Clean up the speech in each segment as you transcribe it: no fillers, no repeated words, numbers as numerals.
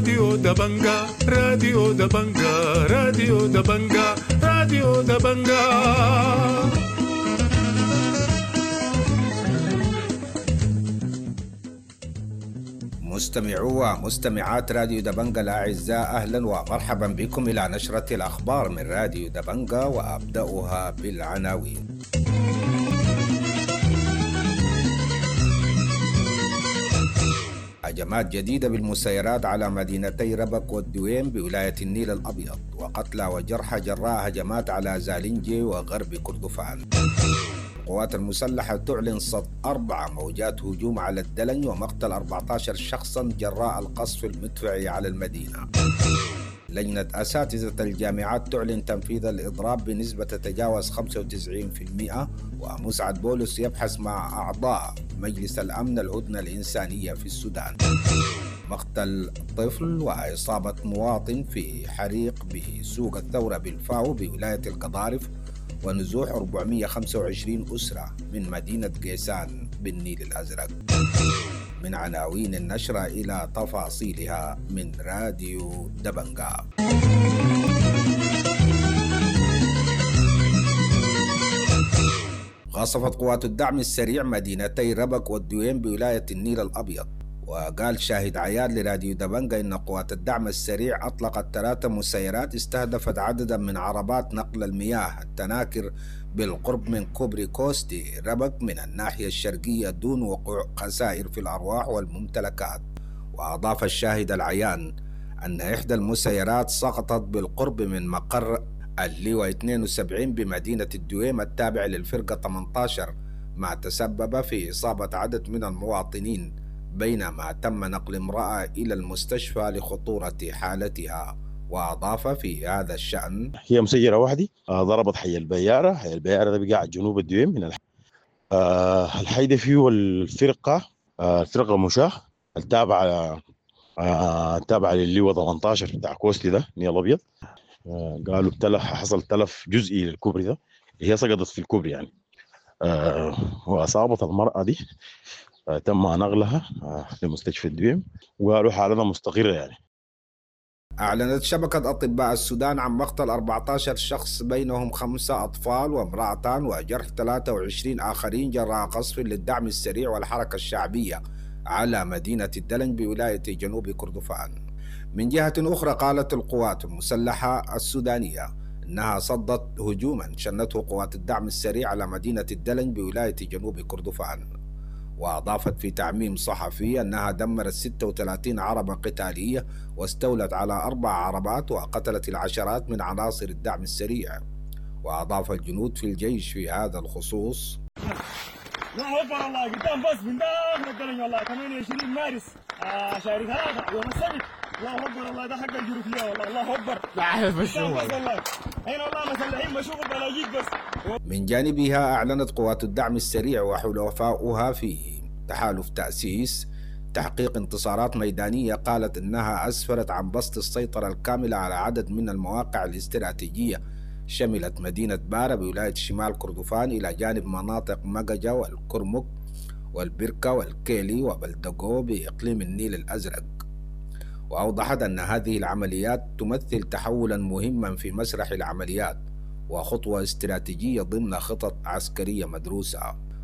راديو دبنجا، راديو دبنجا، راديو دبنجا، راديو دبنجا. مستمعو ومستمعات راديو دبنجا الأعزاء، أهلا ومرحبا بكم إلى نشرة الأخبار من راديو دبنجا، وأبدأها بالعناوين. هجمات جديدة بالمسيرات على مدينتي ربك والدويم بولاية النيل الأبيض، وقتلى وجرحى جراء هجمات على زالنجي وغرب كردفان. القوات المسلحة تعلن صد 4 موجات هجوم على الدلنج ومقتل 14 شخصا جراء القصف المدفعي على المدينة. لجنة أساتذة الجامعات تعلن تنفيذ الإضراب بنسبة تتجاوز 95%، ومسعد بولس يبحث مع أعضاء مجلس الأمن الهدنة الإنسانية في السودان. مقتل طفل وإصابة مواطن في حريق بسوق الثورة بالفاو بولاية القضارف، ونزوح 425 أسرة من مدينة قيسان بالنيل الأزرق. من عناوين النشرة إلى تفاصيلها من راديو دبنجا. قصفت قوات الدعم السريع مدينتي ربك والدويم بولاية النيل الأبيض. وقال شاهد عيان لراديو دبنجا إن قوات الدعم السريع أطلقت 3 مسيرات استهدفت عددا من عربات نقل المياه التناكر بالقرب من كوبري كوستي ربك من الناحية الشرقية دون وقوع خسائر في الأرواح والممتلكات. وأضاف الشاهد العيان أن إحدى المسيرات سقطت بالقرب من مقر اللواء 72 بمدينة الدويم التابع للفرقة 18، ما تسبب في إصابة عدد من المواطنين، بينما تم نقل امرأة إلى المستشفى لخطورة حالتها. وأضاف في هذا الشأن: هي مسيرة واحدة ضربت حي البيارة. حي البيارة ده بقى جنوب الدويم من الحي ده فيه الفرقة، الفرقة مشاة التابعة التابعة للواء 18 بتاع كوستي ده النيل الأبيض. قالوا تلف، حصل تلف جزئي للكوبري ده، هي سقطت في الكوبري يعني، وأصابت المرأة دي، تم نقلها لمستشفى الدويم وقالوا حالتها مستقرة يعني. أعلنت شبكة أطباء السودان عن مقتل 14 شخص بينهم 5 أطفال وامرأتان وجرح 23 آخرين جراء قصف للدعم السريع والحركة الشعبية على مدينة الدلنج بولاية جنوب كردفان. من جهة أخرى، قالت القوات المسلحة السودانية أنها صدت هجوما شنته قوات الدعم السريع على مدينة الدلنج بولاية جنوب كردفان. وأضافت في تعميم صحفي أنها دمرت 36 عربة قتالية واستولت على 4 عربات وقتلت العشرات من عناصر الدعم السريع. وأضاف الجنود في الجيش في هذا الخصوص: الله أكبر والله قدام بس من داخل الدلنج والله 28 مارس شهر 3 يوم السبت. الله أكبر والله ده حق الجروفية والله. الله أكبر. لا عارف بس قدام بس والله. هنا والله مسلحين مشوق بلاجيك بس. من جانبها أعلنت قوات الدعم السريع وحلفاؤها في تحالف تأسيس تحقيق انتصارات ميدانية قالت إنها أسفرت عن بسط السيطرة الكاملة على عدد من المواقع الاستراتيجية شملت مدينة بارا بولاية شمال كردفان إلى جانب مناطق مججة والكرمك والبركة والكيلي وبلدقو بإقليم النيل الأزرق. وأوضحت أن هذه العمليات تمثل تحولا مهما في مسرح العمليات وخطوة استراتيجية ضمن خطط عسكرية مدروسة.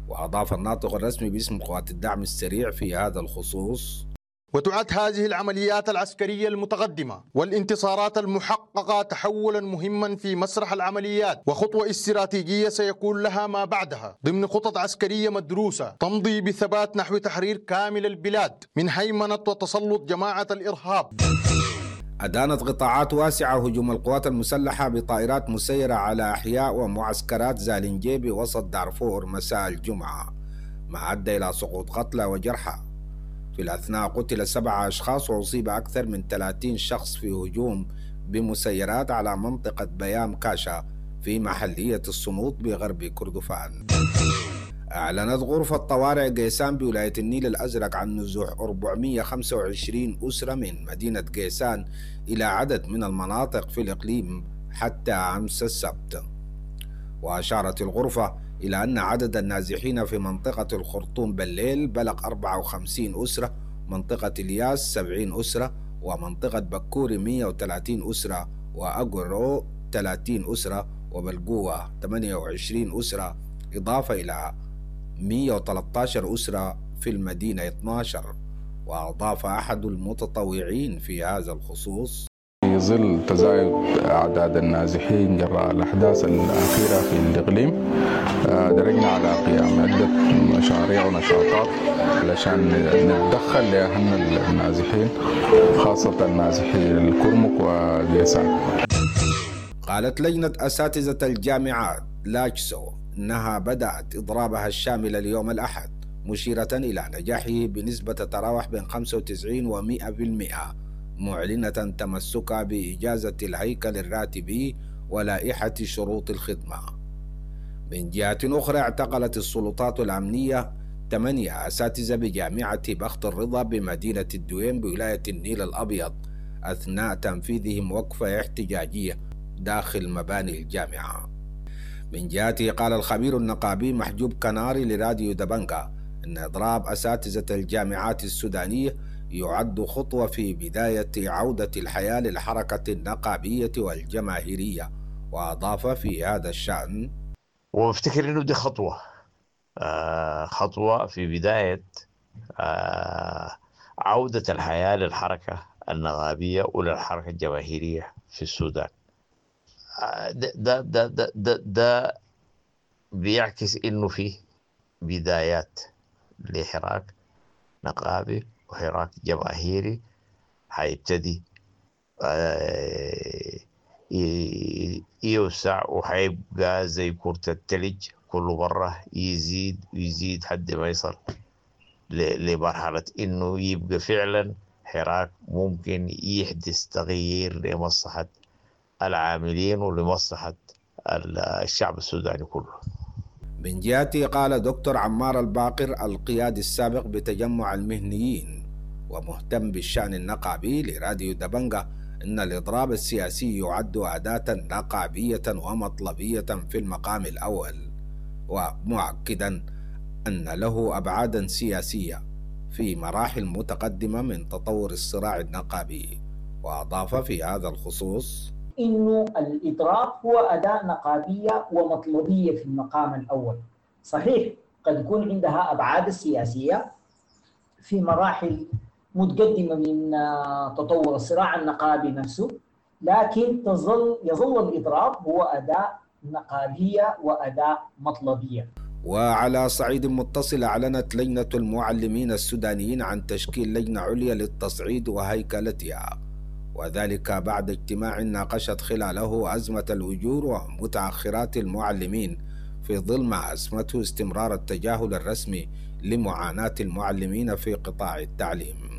وأضاف الناطق الرسمي باسم قوات الدعم السريع في هذا الخصوص: وتعد هذه العمليات العسكرية المتقدمة والانتصارات المحققة تحولا مهما في مسرح العمليات وخطوة استراتيجية سيكون لها ما بعدها ضمن خطط عسكرية مدروسة تمضي بثبات نحو تحرير كامل البلاد من هيمنة وتسلط جماعة الإرهاب. أدانت قطاعات واسعة هجوم القوات المسلحة بطائرات مسيرة على أحياء ومعسكرات زالنجي بوسط دارفور مساء الجمعة، ما أدى إلى سقوط قتلى وجرحى. في الأثناء قتل 7 أشخاص وأصيب أكثر من 30 شخص في هجوم بمسيرات على منطقة بيام كاشا في محلية الصمود بغرب كردفان. أعلنت غرفة طوارئ قيسان بولاية النيل الأزرق عن نزوح 425 أسرة من مدينة قيسان إلى عدد من المناطق في الإقليم حتى أمس السبت. وأشارت الغرفة إلى أن عدد النازحين في منطقة الخرطوم بالليل بلغ 54 أسرة، منطقة الياس 70 أسرة، ومنطقة بكوري 130 أسرة، وأقرو 30 أسرة، وبلقوة 28 أسرة، إضافة إلى 113 أسرة في المدينة 12. وأضاف أحد المتطوعين في هذا الخصوص: في ظل تزايد أعداد النازحين جراء الأحداث الأخيرة في الإقليم، درجنا على قيام عدة مشاريع ونشاطات علشان نتدخل لأهلنا النازحين، خاصة النازحين الكرمك وقيسان. قالت لجنة أساتذة الجامعات لاجسو أنها بدأت إضرابها الشامل اليوم الأحد، مشيرة إلى نجاحه بنسبة تتراوح بين 95 و 100%، معلنة تمسكها بإجازة الهيكل الراتبي ولائحة شروط الخدمة. من جهة أخرى، اعتقلت السلطات الأمنية 8 أساتذة بجامعة بخت الرضا بمدينة الدويم بولاية النيل الأبيض أثناء تنفيذهم وقفة احتجاجية داخل مباني الجامعة. من جهته، قال الخبير النقابي محجوب كناري لراديو دبنجا أن إضراب أساتذة الجامعات السودانية يعد خطوة في بداية عودة الحياة للحركة النقابية والجماهيرية. وأضاف في هذا الشأن: وافتكر انه دي خطوة خطوة في بداية عودة الحياة للحركة النقابية وللحركة الجماهيرية في السودان. ده ده ده ده, ده بيعكس انه في بدايات لحراك نقابي وحراك جماهيري حيبتدي يوسع، وحيبقى زي كرة التلج كل مرة يزيد ويزيد حد ما يصل لمرحلة إنه يبقى فعلا حراك ممكن يحدث تغيير لمصلحة العاملين ولمصلحة الشعب السوداني كله. من جهته، قال دكتور عمار الباقر القيادي السابق بتجمع المهنيين ومهتم بالشأن النقابي لراديو دبنجة إن الإضراب السياسي يعد أداة نقابية ومطلبية في المقام الأول، ومؤكدا أن له أبعادا سياسية في مراحل متقدمة من تطور الصراع النقابي. وأضاف في هذا الخصوص: إنه الإضراب هو أداة نقابية ومطلبية في المقام الأول. صحيح قد يكون عندها أبعاد السياسية في مراحل متقدمة من تطور الصراع النقابي نفسه، لكن يظل الإضراب هو أداة نقابية وأداة مطلبية. وعلى صعيد متصل، أعلنت لجنة المعلمين السودانيين عن تشكيل لجنة عليا للتصعيد وهيكلتها، وذلك بعد اجتماع ناقشت خلاله أزمة الأجور ومتأخرات المعلمين في ظل ما أسمته استمرار التجاهل الرسمي لمعاناة المعلمين في قطاع التعليم.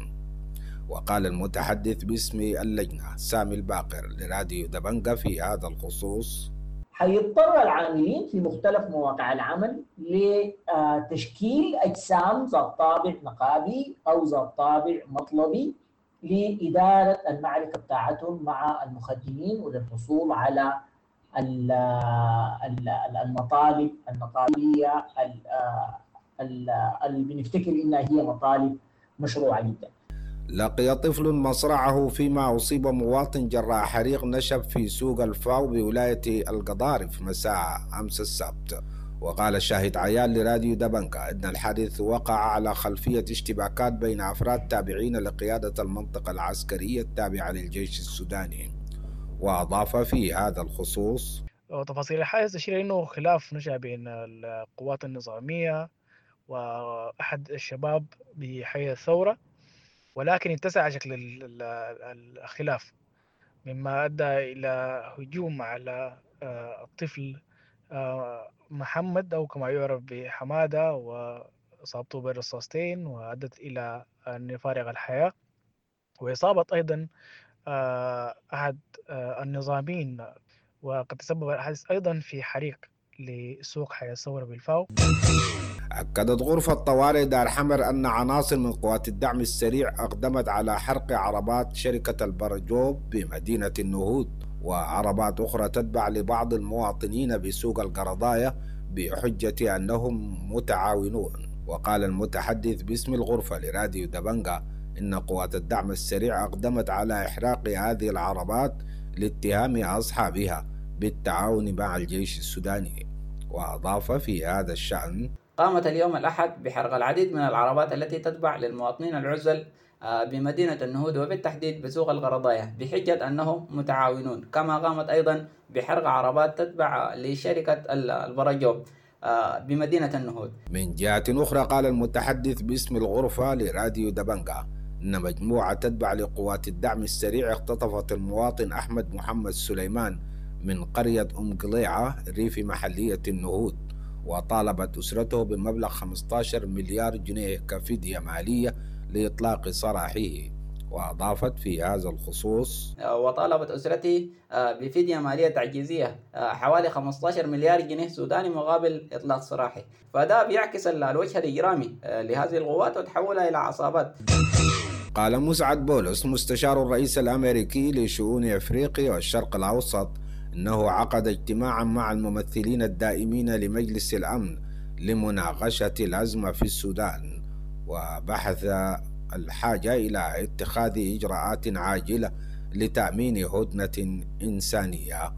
وقال المتحدث باسم اللجنة سامي الباقر لراديو دبنجة في هذا الخصوص: حيضطر العاملين في مختلف مواقع العمل لتشكيل أجسام ذات طابع نقابي أو ذات طابع مطلبي لإدارة المعركة بتاعتهم مع المخدمين وللحصول على المطالب النقابية اللي بنفتكر إنها هي مطالب مشروعة جدا. لقي طفل مصرعه فيما أصيب مواطن جراء حريق نشب في سوق الفاو بولاية القضارف مساء أمس السبت. وقال الشاهد عيان لراديو دبنكا إن الحادث وقع على خلفية اشتباكات بين أفراد تابعين لقيادة المنطقة العسكرية التابعة للجيش السوداني. وأضاف في هذا الخصوص: تفاصيل الحادث تشير إنه خلاف نشأ بين القوات النظامية وأحد الشباب بحي الثورة، ولكن اتسع شكل الخلاف مما أدى إلى هجوم على الطفل محمد أو كما يعرف بحمادة، وإصابته بالرصاصتين وأدت إلى أن يفارق الحياة، وإصابة أيضا أحد النظاميين. وقد تسبب الحادث أيضا في حريق لسوق حي الثورة بالفاو. أكدت غرفة طوارئ دار حمر أن عناصر من قوات الدعم السريع أقدمت على حرق عربات شركة البرجوب بمدينة النهود وعربات أخرى تتبع لبعض المواطنين بسوق القرضايا بحجة أنهم متعاونون. وقال المتحدث باسم الغرفة لراديو دبنجا إن قوات الدعم السريع أقدمت على إحراق هذه العربات لاتهام أصحابها بالتعاون مع الجيش السوداني. وأضاف في هذا الشأن: قامت اليوم الأحد بحرق العديد من العربات التي تتبع للمواطنين العزل بمدينة النهود وبالتحديد بسوق الغرضاية بحجة أنهم متعاونون، كما قامت أيضا بحرق عربات تتبع لشركة البرجوب بمدينة النهود. من جهة أخرى، قال المتحدث باسم الغرفة لراديو دبنجا إن مجموعة تتبع لقوات الدعم السريع اختطفت المواطن أحمد محمد سليمان من قرية أم قليعة ريف محلية النهود، وطالبت أسرته بمبلغ 15 مليار جنيه كفدية مالية لإطلاق سراحه. وأضافت في هذا الخصوص: وطالبت أسرته بفدية مالية تعجيزية حوالي 15 مليار جنيه سوداني مقابل إطلاق سراحه. فده بيعكس الوجه الإجرامي لهذه القوات وتحولها إلى عصابات. قال مسعد بولس مستشار الرئيس الأمريكي لشؤون أفريقيا والشرق الأوسط إنه عقد اجتماعا مع الممثلين الدائمين لمجلس الأمن لمناقشة الأزمة في السودان، وبحث الحاجة إلى اتخاذ إجراءات عاجلة لتأمين هدنة إنسانية.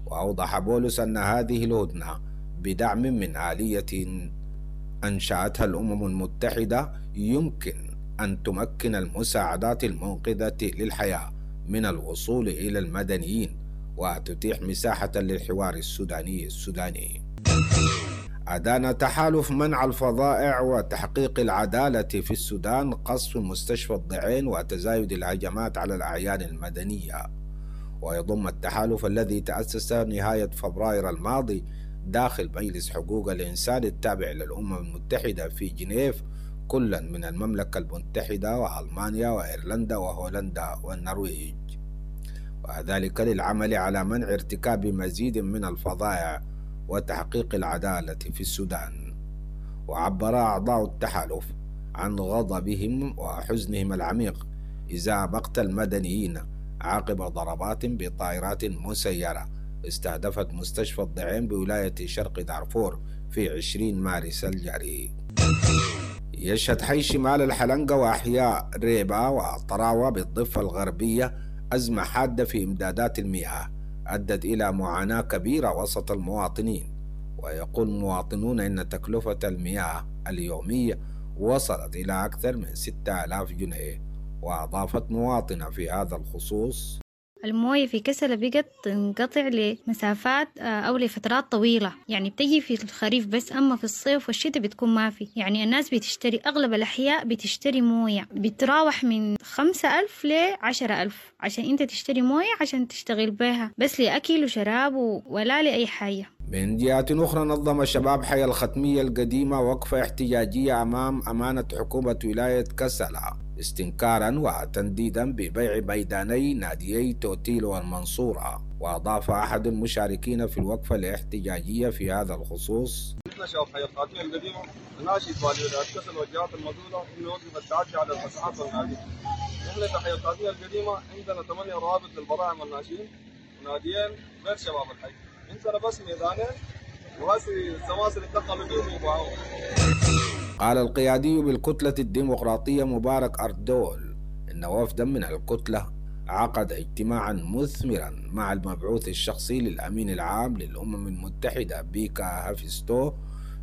وأوضح بولس أن هذه الهدنة بدعم من آلية أنشأتها الأمم المتحدة يمكن أن تمكن المساعدات المنقذة للحياة من الوصول إلى المدنيين وتتيح مساحة للحوار السوداني السوداني. أدان تحالف منع الفظائع وتحقيق العدالة في السودان قصف مستشفى الضعين وتزايد الهجمات على الأعيان المدنية. ويضم التحالف الذي تأسس نهاية فبراير الماضي داخل مجلس حقوق الإنسان التابع للأمم المتحدة في جنيف كلا من المملكة المتحدة وألمانيا وإيرلندا وهولندا والنرويج، وذلك للعمل على منع ارتكاب مزيد من الفظائع وتحقيق العدالة في السودان. وعبر أعضاء التحالف عن غضبهم وحزنهم العميق إزاء مقتل المدنيين عقب ضربات بطائرات مسيرة استهدفت مستشفى الضعين بولاية شرق دارفور في 20 مارس الجاري. يشهد حي شمال الحلنقة وأحياء ريبا وطراوة بالضفة الغربية أزمة حادة في إمدادات المياه أدت إلى معاناة كبيرة وسط المواطنين. ويقول المواطنون إن تكلفة المياه اليومية وصلت إلى أكثر من 6000 جنيه. وأضافت مواطنة في هذا الخصوص: الموية في كسلة بقت تنقطع لمسافات أو لفترات طويلة، يعني بتجي في الخريف بس، أما في الصيف والشتاء بتكون ما في. يعني الناس بتشتري، أغلب الأحياء بتشتري موية بتراوح من 5,000 ل10,000 عشان أنت تشتري موية عشان تشتغل بها بس لأكل وشراب ولا لأي حاجة. من جهة أخرى، نظم شباب حي الختمية القديمة وقفة احتجاجية أمام أمانة حكومة ولاية كسلة استنكارا وتنديدا ببيع ميداني ناديي توتيل والمنصورة. وأضاف أحد المشاركين في الوقفة الاحتجاجية في هذا الخصوص: نحن شباب حي الخاتمية القديمة نناشد والي ولاية كسل والجهات المسؤولة إنه يوقف التعدي على المساحات والنادي. نحن في حي الخاتمية القديمة عندنا 8 روابط للبراعم والناشئين وناديين غير شباب الحي، عندنا بس ميدانين وهسي السماسرة دخلوا فيهم وباعوهم. قال القيادي بالكتلة الديمقراطية مبارك أردول إن وفدا من الكتلة عقد اجتماعا مثمرا مع المبعوث الشخصي للأمين العام للأمم المتحدة بيكا هافستو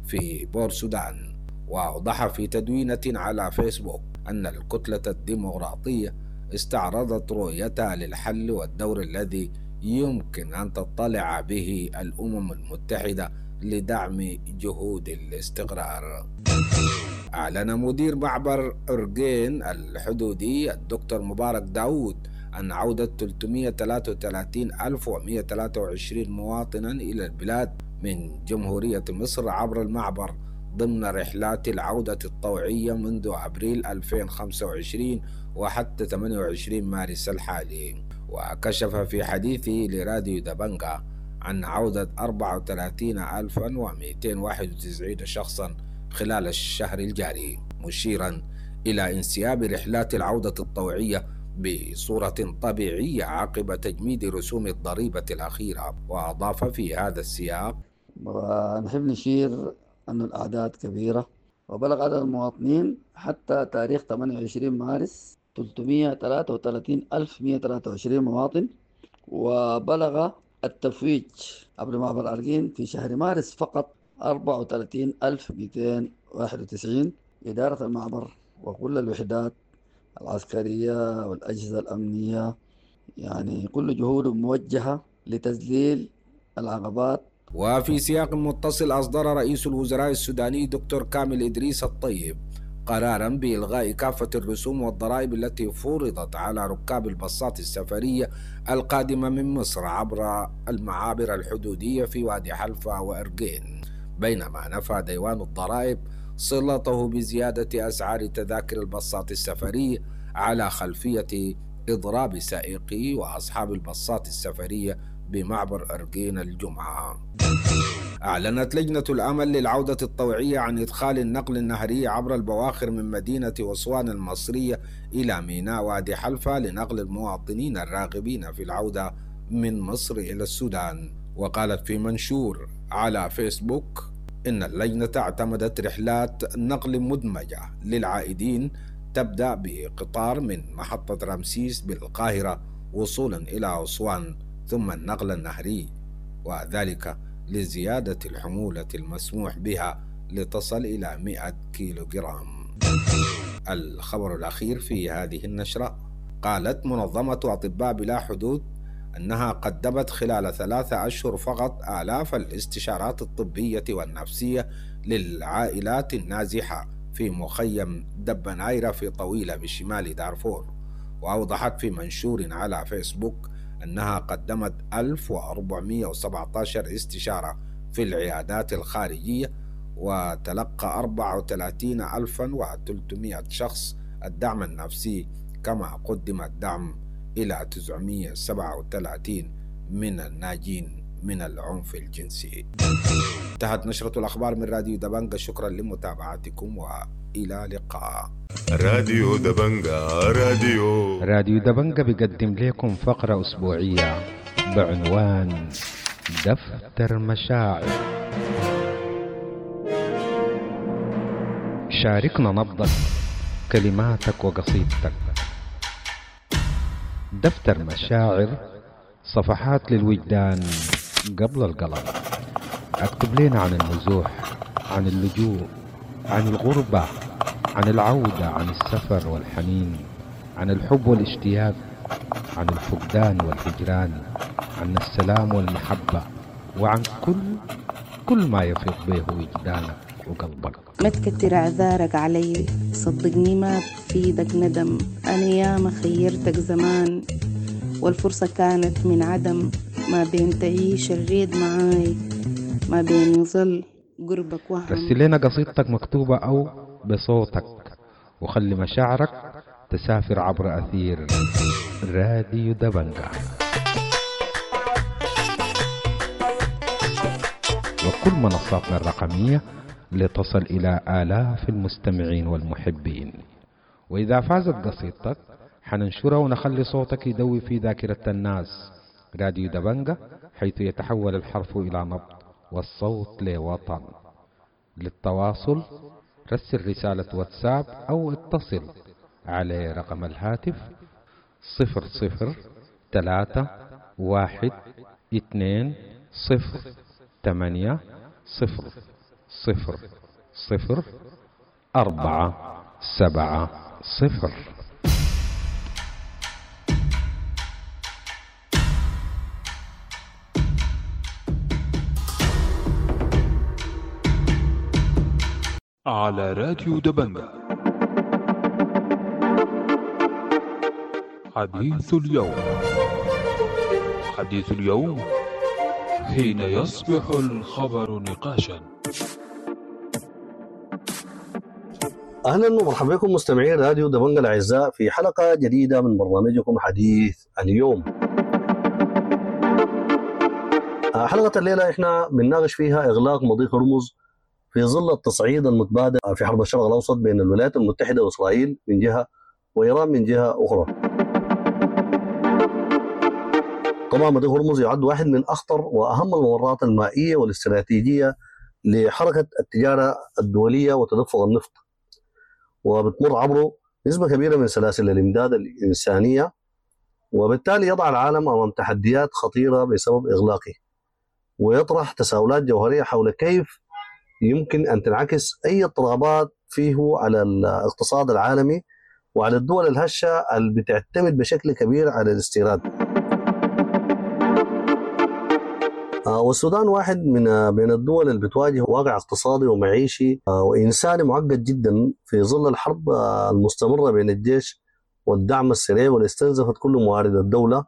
في بور سودان. وأوضح في تدوينة على فيسبوك أن الكتلة الديمقراطية استعرضت رؤيتها للحل والدور الذي يمكن أن تطلع به الأمم المتحدة لدعم جهود الاستقرار. أعلن مدير معبر أرجين الحدودي الدكتور مبارك داود أن عودة 333,123 مواطنا إلى البلاد من جمهورية مصر عبر المعبر ضمن رحلات العودة الطوعية منذ أبريل 2025 وحتى 28 مارس الحالي. وكشف في حديثه لراديو دبنجا عن عودة 34,291 شخصا خلال الشهر الجاري، مشيرا إلى انسياب رحلات العودة الطوعية بصورة طبيعية عقب تجميد رسوم الضريبة الأخيرة. وأضاف في هذا السياق: ونحب نشير أن الأعداد كبيرة، وبلغ عدد المواطنين حتى تاريخ 28 مارس 333,123 مواطن، وبلغ التفويج عبر معبر أرجين في شهر مارس فقط 34291. إدارة المعبر وكل الوحدات العسكرية والأجهزة الأمنية يعني كل جهود موجهة لتذليل العقبات. وفي سياق متصل أصدر رئيس الوزراء السوداني دكتور كامل إدريس الطيب قرارا بإلغاء كافة الرسوم والضرائب التي فرضت على ركاب الباصات السفرية القادمة من مصر عبر المعابر الحدودية في وادي حلفا وإرجين، بينما نفى ديوان الضرائب صلته بزيادة أسعار تذاكر الباصات السفرية على خلفية إضراب سائقي وأصحاب الباصات السفرية بمعبر أرجين الجمعة. أعلنت لجنة الأمل للعودة الطوعية عن إدخال النقل النهري عبر البواخر من مدينة أسوان المصرية إلى ميناء وادي حلفا لنقل المواطنين الراغبين في العودة من مصر إلى السودان. وقالت في منشور على فيسبوك إن اللجنة اعتمدت رحلات نقل مدمجة للعائدين تبدأ بقطار من محطة رمسيس بالقاهرة وصولا إلى أسوان ثم النقل النهري، وذلك لزيادة الحمولة المسموح بها لتصل إلى 100 كيلوغرام. الخبر الأخير في هذه النشرة: قالت منظمة أطباء بلا حدود أنها قدمت خلال 3 أشهر فقط آلاف الاستشارات الطبية والنفسية للعائلات النازحة في مخيم دبنايرة في طويلة بشمال دارفور. وأوضحت في منشور على فيسبوك أنها قدمت 1417 استشارة في العيادات الخارجية، وتلقى 34300 شخص الدعم النفسي، كما قدم الدعم إلى 937 من الناجين من العنف الجنسي. انتهت نشرة الأخبار من راديو دبنجة، شكرا لمتابعتكم وإلى لقاء. راديو دبنجة، راديو دبنجة بيقدم لكم فقرة أسبوعية بعنوان دفتر مشاعر. شاركنا نبضك، كلماتك وقصيدتك. دفتر مشاعر، صفحات للوجدان قبل القلم. اكتب لنا عن النزوح، عن اللجوء، عن الغربة، عن العودة، عن السفر والحنين، عن الحب والاشتياق، عن الفقدان والهجران، عن السلام والمحبة، وعن كل ما يفيض به وجدانك وقلبك. ما تكتر اعذارك علي، صدقني ما بفيدك ندم. أنا ياما خيرتك زمان والفرصة كانت من عدم. ما بين تعيش الريد معاي، ما بين يظل قربك وهم. رسل لنا قصيدتك مكتوبة أو بصوتك، وخلي مشاعرك تسافر عبر أثير راديو دبنجة وكل منصاتنا الرقمية لتصل إلى آلاف المستمعين والمحبين. وإذا فازت قصيدتك حننشرها ونخلي صوتك يدوي في ذاكرة الناس. راديو دبنجة، حيث يتحول الحرف إلى نبض والصوت لوطن. للتواصل رسل رسالة واتساب أو اتصل على رقم الهاتف 00 3 1 2 0 8 0 0 0 4 7 0. على راديو دبنجة حديث اليوم. حديث اليوم حين يصبح الخبر نقاشا. أهلا ومرحبا بكم مستمعين راديو دبنجة الأعزاء في حلقة جديدة من برنامجكم حديث اليوم. حلقة الليلة احنا بنناقش فيها إغلاق مضيق هرمز في ظل التصعيد المتبادل في حرب الشرق الأوسط بين الولايات المتحدة وإسرائيل من جهة وإيران من جهة أخرى. طبعا مضيق هرمز يعد واحد من أخطر وأهم الممرات المائية والاستراتيجية لحركة التجارة الدولية وتدفق النفط، وبتمر عبره نسبة كبيرة من سلاسل الإمداد الإنسانية، وبالتالي يضع العالم أمام تحديات خطيرة بسبب إغلاقه، ويطرح تساؤلات جوهرية حول كيف يمكن أن تنعكس أي اضطرابات فيه على الاقتصاد العالمي وعلى الدول الهشة اللي بتعتمد بشكل كبير على الاستيراد. والسودان واحد من بين الدول اللي بتواجه واقع اقتصادي ومعيشي وإنساني معقد جدا في ظل الحرب المستمرة بين الجيش والدعم السريع، واللي استنزفت كل موارد الدولة،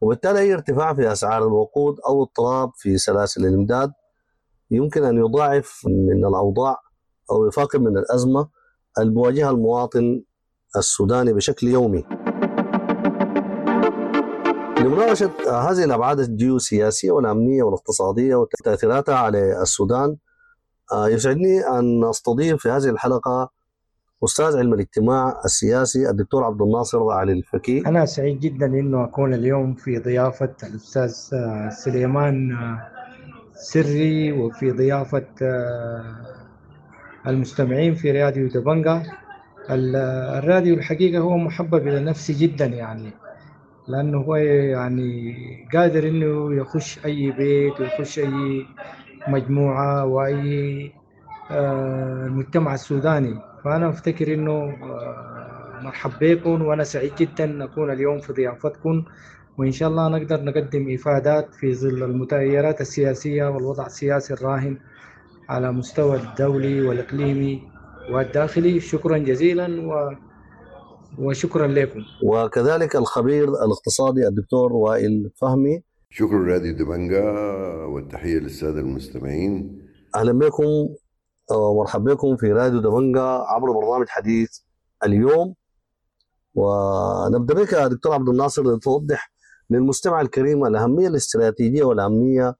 وبالتالي أي ارتفاع في أسعار الوقود أو اضطراب في سلاسل الإمداد يمكن أن يضاعف من الأوضاع أو يفاقم من الأزمة اللي بيواجهها المواطن السوداني بشكل يومي. لمناقشة هذه الأبعاد الجيوسياسية والأمنية والاقتصادية وتأثيراتها على السودان، يسعدني أن أستضيف في هذه الحلقة أستاذ علم الاجتماع السياسي الدكتور عبد الناصر علي الفكي. أنا سعيد جدا أنه أكون اليوم في ضيافة الأستاذ سليمان سري وفي ضيافة المستمعين في راديو دبنجا. الراديو الحقيقة هو محبب إلى نفسي جدا، يعني لأنه هو يعني قادر إنه يخش أي بيت ويخش أي مجموعة وأي المجتمع السوداني. فأنا أفتكر إنه مرحب بكم، وأنا سعيد جدا أكون اليوم في ضيافتكم، وإن شاء الله نقدر نقدم إفادات في ظل المتغيرات السياسية والوضع السياسي الراهن على مستوى الدولي والإقليمي والداخلي. شكرا جزيلا وشكرا لكم. وكذلك الخبير الاقتصادي الدكتور وائل فهمي. شكرا راديو دبنجا والتحية للسادة المستمعين. أهلا بكم ومرحبا بكم في راديو دبنجا عبر برنامج حديث اليوم. ونبدأ بك يا دكتور عبد الناصر لتوضح للمستمع الكريم الأهمية الاستراتيجية والأمنية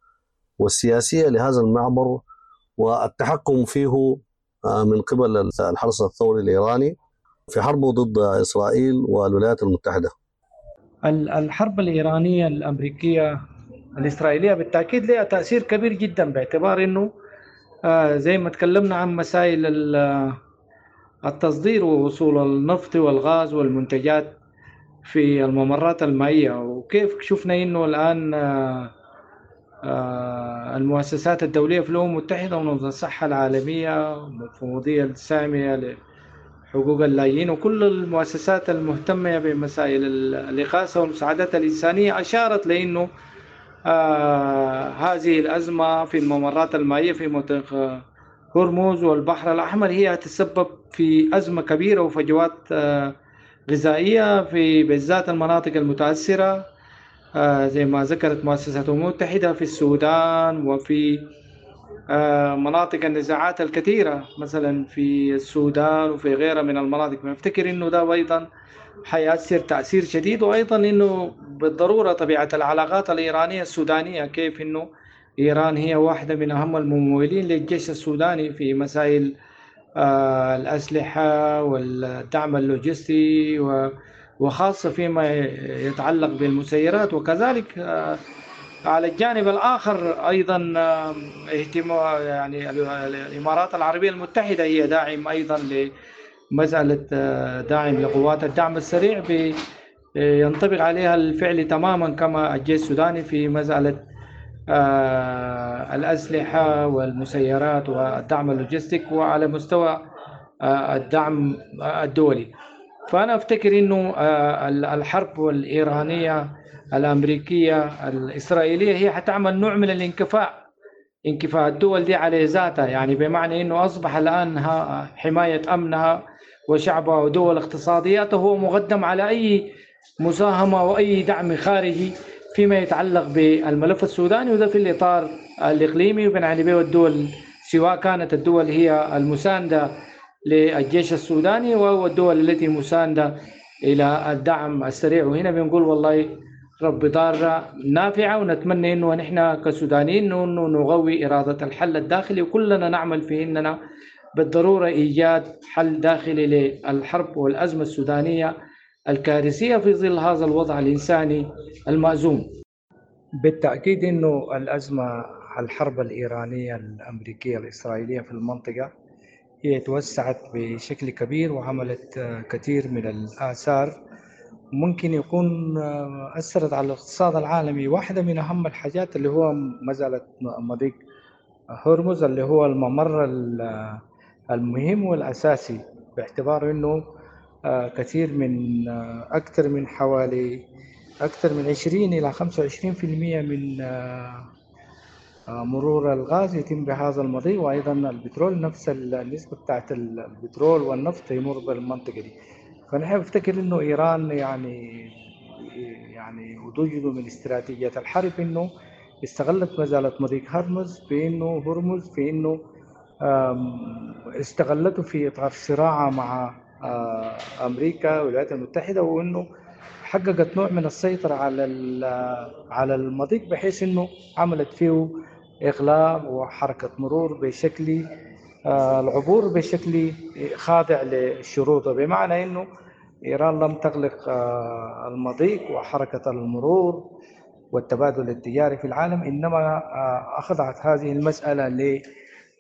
والسياسية لهذا المعبر والتحكم فيه من قبل الحرس الثوري الإيراني في حربه ضد إسرائيل والولايات المتحدة. الحرب الإيرانية الأمريكية الإسرائيلية بالتأكيد لها تأثير كبير جدا، باعتبار أنه زي ما تكلمنا عن مسائل التصدير ووصول النفط والغاز والمنتجات في الممرات المائية، وكيف شفنا أنه الآن المؤسسات الدولية في الأمم المتحدة ومنظمة الصحة العالمية والمفوضية السامية لحقوق اللاجئين وكل المؤسسات المهتمة بمسائل الإغاثة والمساعدات الإنسانية أشارت لأنه هذه الأزمة في الممرات المائية في منطقة هرمز والبحر الأحمر هي تسبب في أزمة كبيرة وفجوات غذائية في بالذات المناطق المتأثرة زي ما ذكرت مؤسسة الأمم المتحدة في السودان وفي مناطق النزاعات الكثيرة مثلا في السودان وفي غيرها من المناطق. فافتكر إنه ده أيضا حيأثر تأثير شديد، وأيضا إنه بالضرورة طبيعة العلاقات الإيرانية السودانية، كيف إنه إيران هي واحدة من أهم الممولين للجيش السوداني في مسائل الأسلحة والدعم اللوجستي وخاصة فيما يتعلق بالمسيرات. وكذلك على الجانب الآخر أيضا اهتمام يعني الإمارات العربية المتحدة هي داعم أيضا لمسألة داعم لقوات الدعم السريع، ينطبق عليها الفعل تماما كما الجيش السوداني في مسألة الأسلحة والمسيرات والدعم اللوجستيك وعلى مستوى الدعم الدولي. فأنا أفتكر أنه الحرب الإيرانية الأمريكية الإسرائيلية هي حتعمل نوع من الانكفاء، انكفاء الدول دي على ذاتها، يعني بمعنى أنه أصبح الآن حماية أمنها وشعبها ودول اقتصادياتها هو مقدم على أي مساهمة وأي دعم خارجي فيما يتعلق بالملف السوداني، وده في الإطار الإقليمي وبنعني به الدول سواء كانت الدول هي المساندة للجيش السوداني أو الدول التي مساندة إلى الدعم السريع. وهنا بنقول والله رب ضارة نافعة، ونتمنى إنه نحن كسودانيين إنه نغوي إرادة الحل الداخلي، وكلنا نعمل في إننا بالضرورة إيجاد حل داخلي للحرب والأزمة السودانية الكارثية في ظل هذا الوضع الإنساني المأزوم. بالتأكيد إنه الأزمة الحرب الإيرانية الأمريكية الإسرائيلية في المنطقة هي توسعت بشكل كبير وعملت كثير من الآثار ممكن يكون أثرت على الاقتصاد العالمي. واحدة من أهم الحاجات اللي هو مسألة مضيق هرمز اللي هو الممر المهم والأساسي، باعتبار أنه كثير من أكثر من حوالي أكثر من 20 إلى 25% من مرور الغاز يتم بهذا المضيق، وأيضا البترول نفس النسبة بتاعت البترول والنفط يمر بالمنطقة دي. فنحن بفتكر إنه إيران يعني وجوده من استراتيجية الحرب إنه استغلت مسألة مضيق هرمز بإنه هرمز في إنه استغلته في إطار صراعها مع أمريكا والولايات المتحدة، وإنه حققت نوع من السيطرة على المضيق بحيث إنه عملت فيه إغلاق وحركة مرور بشكل العبور بشكل خاضع لشروطه، بمعنى إنه إيران لم تغلق المضيق وحركة المرور والتبادل التجاري في العالم، إنما أخضعت هذه المسألة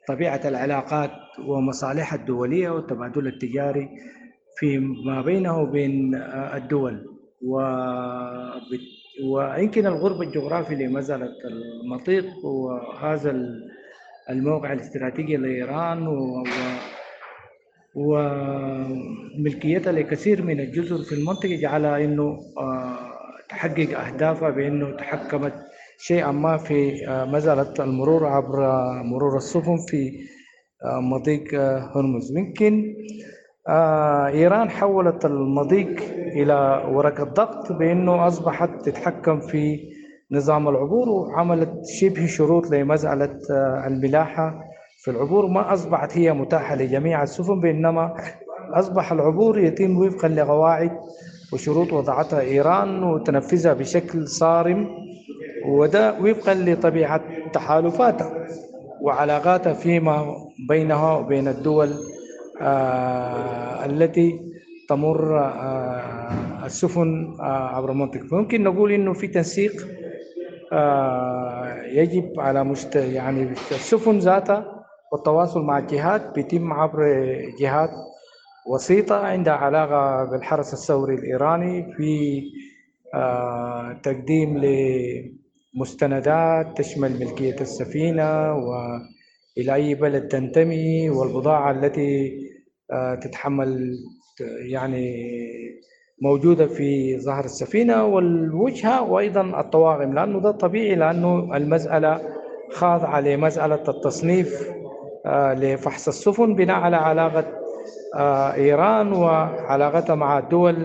لطبيعة العلاقات ومصالحها الدولية والتبادل التجاري في ما بينه وبين الدول. ويمكن الغرب الجغرافي لمسألة المضيق وهذا الموقع الاستراتيجي لإيران وملكيتها لكثير من الجزر في المنطقة جعلها إنه تحقق أهدافها بأنه تحكمت شيئا ما في مسألة المرور عبر مرور السفن في مضيق هرمز. يمكن إيران حولت المضيق إلى ورقة ضغط بأنه أصبحت تتحكم في نظام العبور، وعملت شبه شروط لمسألة الملاحة في العبور، ما أصبحت هي متاحة لجميع السفن، بإنما أصبح العبور يتم وفقا لقواعد وشروط وضعتها إيران وتنفذها بشكل صارم، وده وفقا لطبيعة تحالفاتها وعلاقاتها فيما بينها وبين الدول التي تمر السفن عبر المنطقة. فممكن نقول إنه في تنسيق يجب على يعني السفن ذاتها والتواصل مع الجهات بيتم عبر جهات وسيطة عندها علاقة بالحرس الثوري الإيراني في تقديم لمستندات تشمل ملكية السفينة وإلى أي بلد تنتمي والبضاعة التي تتحمل يعني موجودة في ظهر السفينة والوجهة وأيضا الطواقم، لأنه ده طبيعي، لأنه المسألة خاضعة لمسألة التصنيف لفحص السفن بناء على علاقة إيران وعلاقتها مع الدول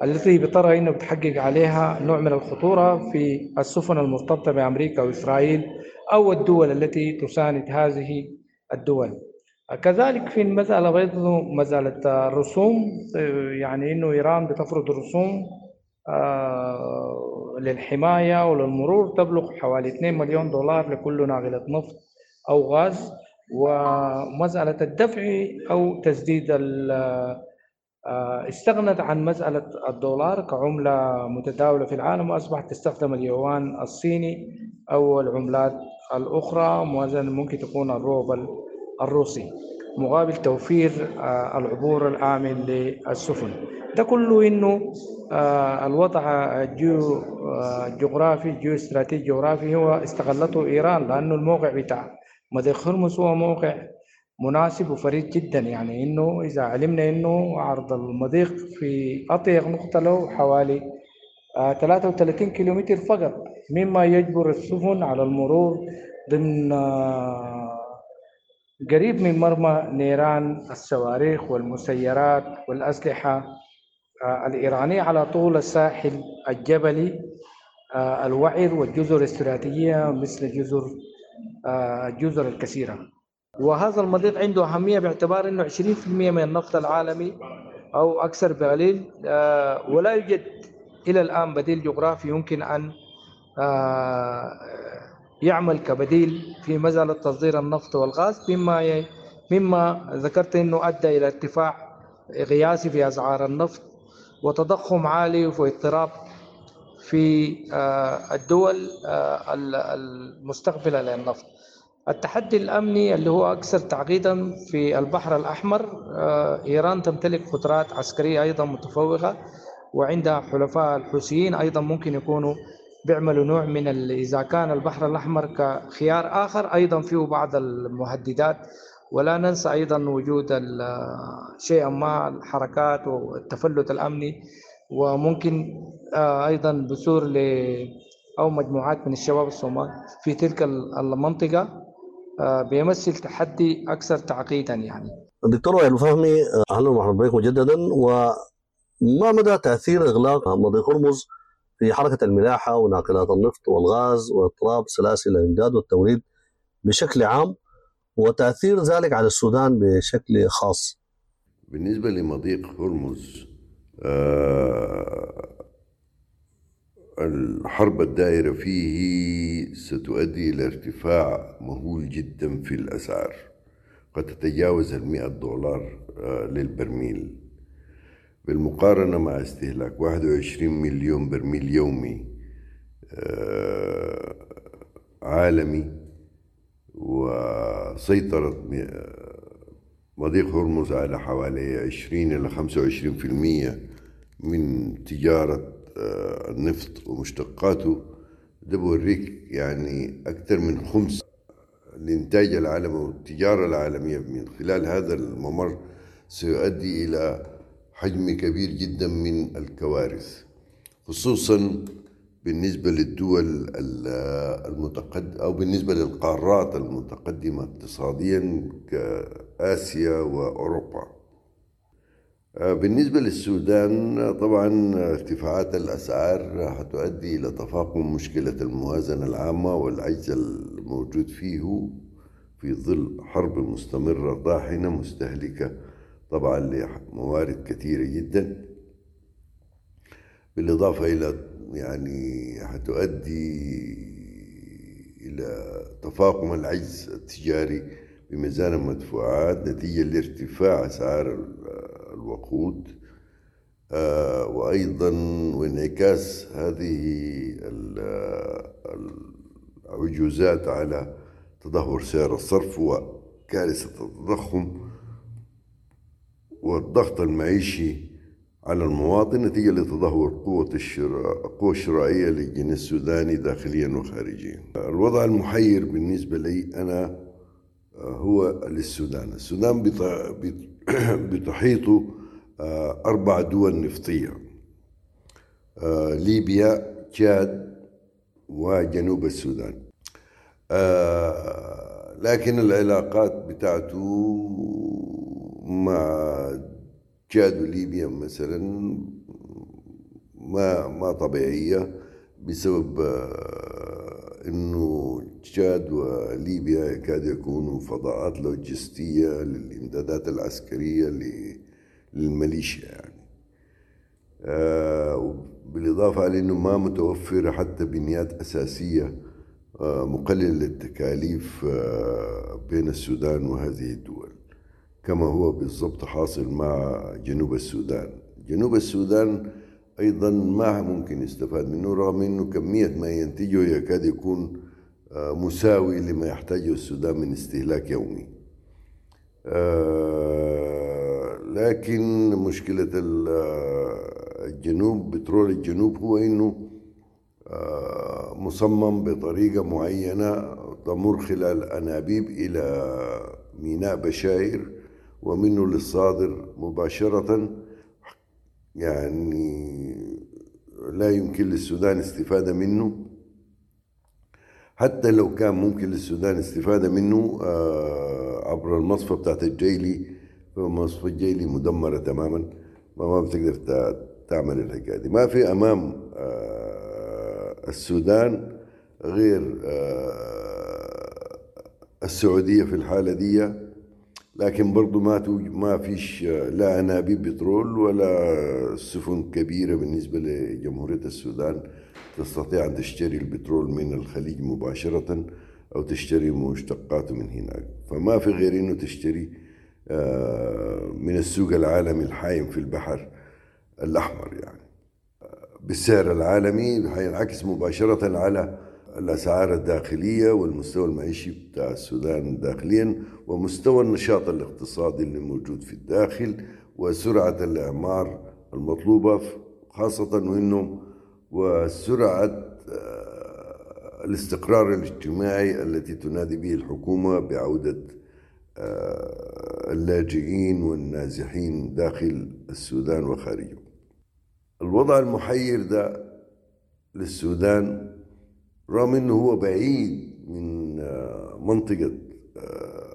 التي بترى إنه بتحقق عليها نوع من الخطورة في السفن المرتبطة بأمريكا وإسرائيل أو الدول التي تساند هذه الدول. كذلك في المسألة أيضا مسألة الرسوم، يعني إنه إيران بتفرض رسوم للحماية وللمرور تبلغ حوالي 2 مليون دولار لكل ناقلة نفط أو غاز، ومسألة الدفع أو تسديد استغنت عن مسألة الدولار كعملة متداولة في العالم، وأصبحت تستخدم اليوان الصيني أو العملات الأخرى، موازنة ممكن تكون الروبل الروسي، مقابل توفير العبور الآمن للسفن. ده كله إنه الوضع الجغرافي الجيو استراتيجي الجغرافي هو استغلته إيران، لأنه الموقع بتاع مضيق هرمز هو موقع مناسب وفريد جدا. يعني إنه إذا علمنا إنه عرض المضيق في أضيق نقطة له حوالي 33 كيلومتر فقط، مما يجبر السفن على المرور ضمن قريب من مرمى نيران الصواريخ والمسيرات والأسلحة الإيرانية على طول الساحل الجبلي الوعر والجزر الاستراتيجية مثل الجزر الكثيرة. وهذا المضيق عنده أهمية باعتبار أنه 20% من النفط العالمي أو أكثر بقليل، ولا يوجد إلى الآن بديل جغرافي يمكن أن يعمل كبديل في مسألة تصدير النفط والغاز، مما ذكرت أنه أدى إلى ارتفاع قياسي في أسعار النفط وتضخم عالي واضطراب في الدول المستقبلة للنفط. التحدي الأمني اللي هو أكثر تعقيدا في البحر الأحمر، إيران تمتلك قدرات عسكرية أيضا متفوقة، وعندها حلفاء الحوثيين أيضا ممكن يكونوا بيعملوا نوع من إذا كان البحر الأحمر كخيار آخر أيضا فيه بعض المهددات. ولا ننسى أيضا وجود شيئا ما الحركات والتفلت الأمني، وممكن أيضا بثور أو مجموعات من الشباب الصومال في تلك المنطقة، بيمثل تحدي أكثر تعقيدا يعني. دكتور وائل فهمي، أهلا ومرحبا بك مجددا. وما مدى تأثير إغلاق مضيق هرمز في حركة الملاحة وناقلات النفط والغاز واضطراب سلاسل الإمداد والتوريد بشكل عام، وتأثير ذلك على السودان بشكل خاص؟ بالنسبة لمضيق هرمز، الحرب الدائرة فيه ستؤدي إلى ارتفاع مهول جدا في الأسعار، قد تتجاوز $100 للبرميل، بالمقارنة مع استهلاك 21 مليون برميل يومي عالمي. وسيطرت مضيق هرمز على حوالي 20 إلى 25% من تجارة النفط ومشتقاته. ده بوريك يعني أكثر من خمس الإنتاج العالمي والتجارة العالمية من خلال هذا الممر سيؤدي إلى حجم كبير جدا من الكوارث، خصوصا بالنسبة للدول المتقدمة أو بالنسبة للقارات المتقدمة اقتصاديا كآسيا وأوروبا. بالنسبة للسودان طبعا ارتفاعات الأسعار هتؤدي إلى تفاقم مشكلة الموازنة العامة والعجز الموجود فيه في ظل حرب مستمرة طاحنة مستهلكة طبعا لموارد كثيرة جدا، بالإضافة إلى يعني هتؤدي إلى تفاقم العجز التجاري بميزان المدفوعات نتيجة لارتفاع أسعار الوقود، وأيضا وانعكاس هذه العجوزات على تدهور سعر الصرف وكارثة التضخم والضغط المعيشي على المواطن نتيجة لتدهور القوة الشرائية للجنيه السوداني داخليا وخارجيا. الوضع المحير بالنسبة لي أنا هو للسودان. السودان بتحيطه 4 دول نفطية، ليبيا، تشاد، وجنوب السودان. لكن العلاقات بتاعته مع تشاد وليبيا مثلا ما طبيعية، بسبب انه تشاد وليبيا يكاد يكونوا فضاءات لوجستية للإمدادات العسكرية للميليشيا يعني. بالإضافة لأنه ما متوفرة حتى بنيات أساسية مقللة للتكاليف بين السودان وهذه الدول، كما هو بالضبط حاصل مع جنوب السودان. جنوب السودان أيضا ما ممكن يستفاد منه، رغم أنه كمية ما ينتجه يكاد يكون مساوي لما يحتاجه السودان من استهلاك يومي. لكن مشكلة الجنوب، بترول الجنوب، هو أنه مصمم بطريقة معينة تمر خلال أنابيب إلى ميناء بشاير ومنه للصادر مباشرة، يعني لا يمكن للسودان استفادة منه. حتى لو كان ممكن للسودان استفادة منه عبر المصفى بتاعت الجيلي، فمصفى الجيلي مدمرة تماما، ما بتقدر تعمل الحكاية دي. ما في أمام السودان غير السعودية في الحالة دي، لكن برضو ما فيش لا أنابيب بترول ولا سفن كبيرة بالنسبة لجمهورية السودان تستطيع أن تشتري البترول من الخليج مباشرة أو تشتري مشتقاته من هناك. فما في غير إنه تشتري من السوق العالمي الحايم في البحر الأحمر، يعني بالسعر العالمي حينعكس مباشرة على الأسعار الداخلية والمستوى المعيشي بتاع السودان داخليا، ومستوى النشاط الاقتصادي اللي موجود في الداخل، وسرعة الإعمار المطلوبة، خاصة وإنه وسرعة الاستقرار الاجتماعي التي تنادي به الحكومة بعودة اللاجئين والنازحين داخل السودان وخارجه. الوضع المحير ده للسودان، رغم انه هو بعيد من منطقة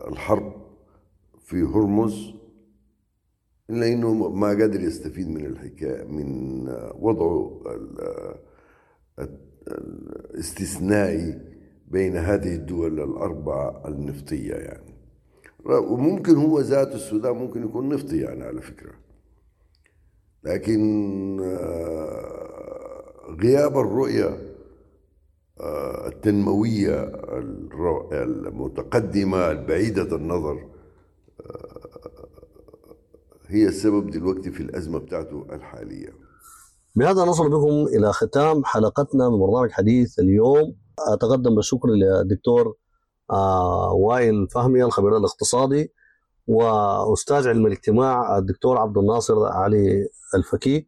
الحرب في هرمز، إلا إنه ما قادر يستفيد من الحكاية، من وضعه الاستثنائي بين هذه الدول الأربعة النفطية يعني. وممكن هو ذات السودان ممكن يكون نفطي يعني على فكرة، لكن غياب الرؤية التنموية المتقدمة البعيدة النظر هي السبب دلوقتي في الأزمة بتاعته الحالية. بهذا نصل بكم إلى ختام حلقتنا من برنامج حديث اليوم. أتقدم بالشكر للدكتور وائل فهمي الخبير الاقتصادي، وأستاذ علم الاجتماع الدكتور عبد الناصر علي الفكي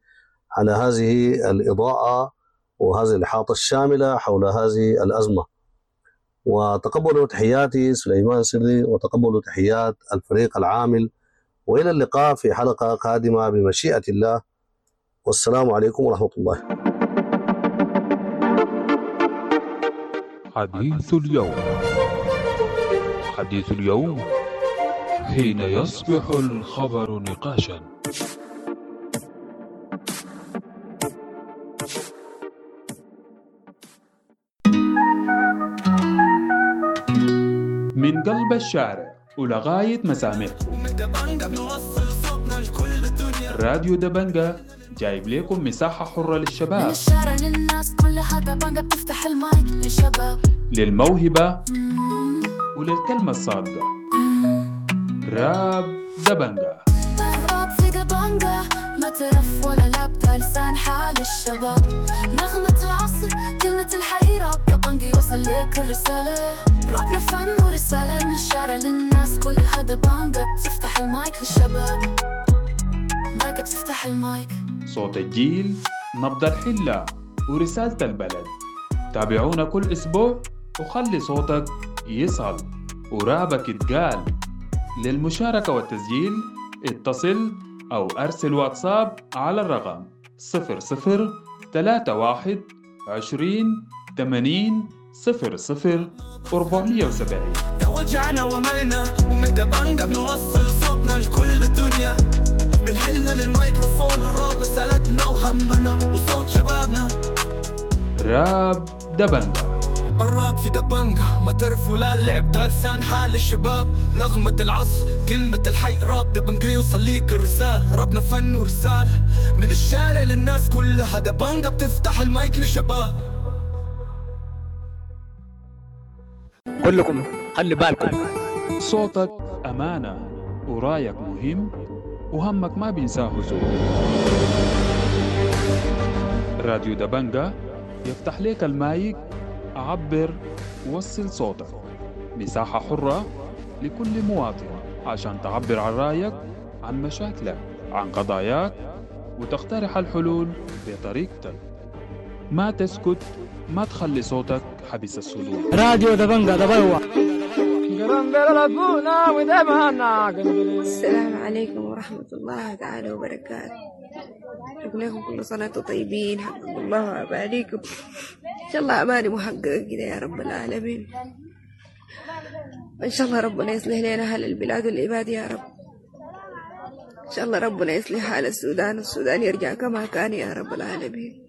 على هذه الإضاءة وهذه الإحاطة الشاملة حول هذه الأزمة. وتقبلوا تحياتي سليمان سري، وتقبلوا تحيات الفريق العامل، وإلى اللقاء في حلقة قادمة بمشيئة الله، والسلام عليكم ورحمة الله. حديث اليوم، حديث اليوم حين يصبح الخبر نقاشا. من قلب الشارع ولغاية مسامعكم، راديو دبنجة جايب لكم مساحة حرة للشباب، من الشارع للناس كلها دبنجة بتفتح المايك للشباب، للموهبة وللكلمة الصادقة. راب دبنجة، راب في دبنجة، ما ترف ولا لابدة، لسان حال الشباب، نغمة العصر، كلمة الحقيقة، راب دبنجة يوصل لك الرسالة، رابنا فن ورسالة، من الشارع للناس كلها دبنجة بتفتح المايك للشباب، مايك بتفتح المايك. صوت الجيل، نبض الحلة، ورسالة البلد. تابعونا كل أسبوع وخلي صوتك يصل ورابك يتقال. للمشاركة والتسجيل اتصل أو أرسل واتساب على الرقم 00 31 20 80 00 470. توجعنا وملنا ومن دبنجة بنوصل صوتنا لكل الدنيا، بنحلنا للميكروفون الراب رسالتنا وهمنا وصوت شبابنا. راب دبنجة، الراب في دبنجة، ما ترف ولا لعب، ده لسان حال الشباب، نغمة العصر، كلمة الحي، راب دبنجة يوصل ليك الرسالة، رابنا فن ورسالة، من الشارع للناس كلها، دبنجة بتفتح المايك للشباب. كلكم خلي بالكم، صوتك أمانة ورايك مهم وهمك ما بينساه زول. راديو دبنجة يفتح لك المايك، عبر، وصل صوتك، مساحة حرة لكل مواطن عشان تعبر عن رأيك، عن مشاكلك، عن قضاياك، وتقترح الحلول بطريقتك. ما تسكت، ما تخلي صوتك حبس الصدور. راديو دبنجة دبلوة. السلام عليكم ورحمة الله تعالى وبركاته. أقول لكم كل سنة وأنتم طيبين، حقق الله أمانيكم إن شاء الله، أماني محققة كده يا رب العالمين. وإن شاء الله ربنا يصلح لنا أهل البلاد والعباد يا رب. إن شاء الله ربنا يصلح حال السودان، والسودان يرجع كما كان يا رب العالمين.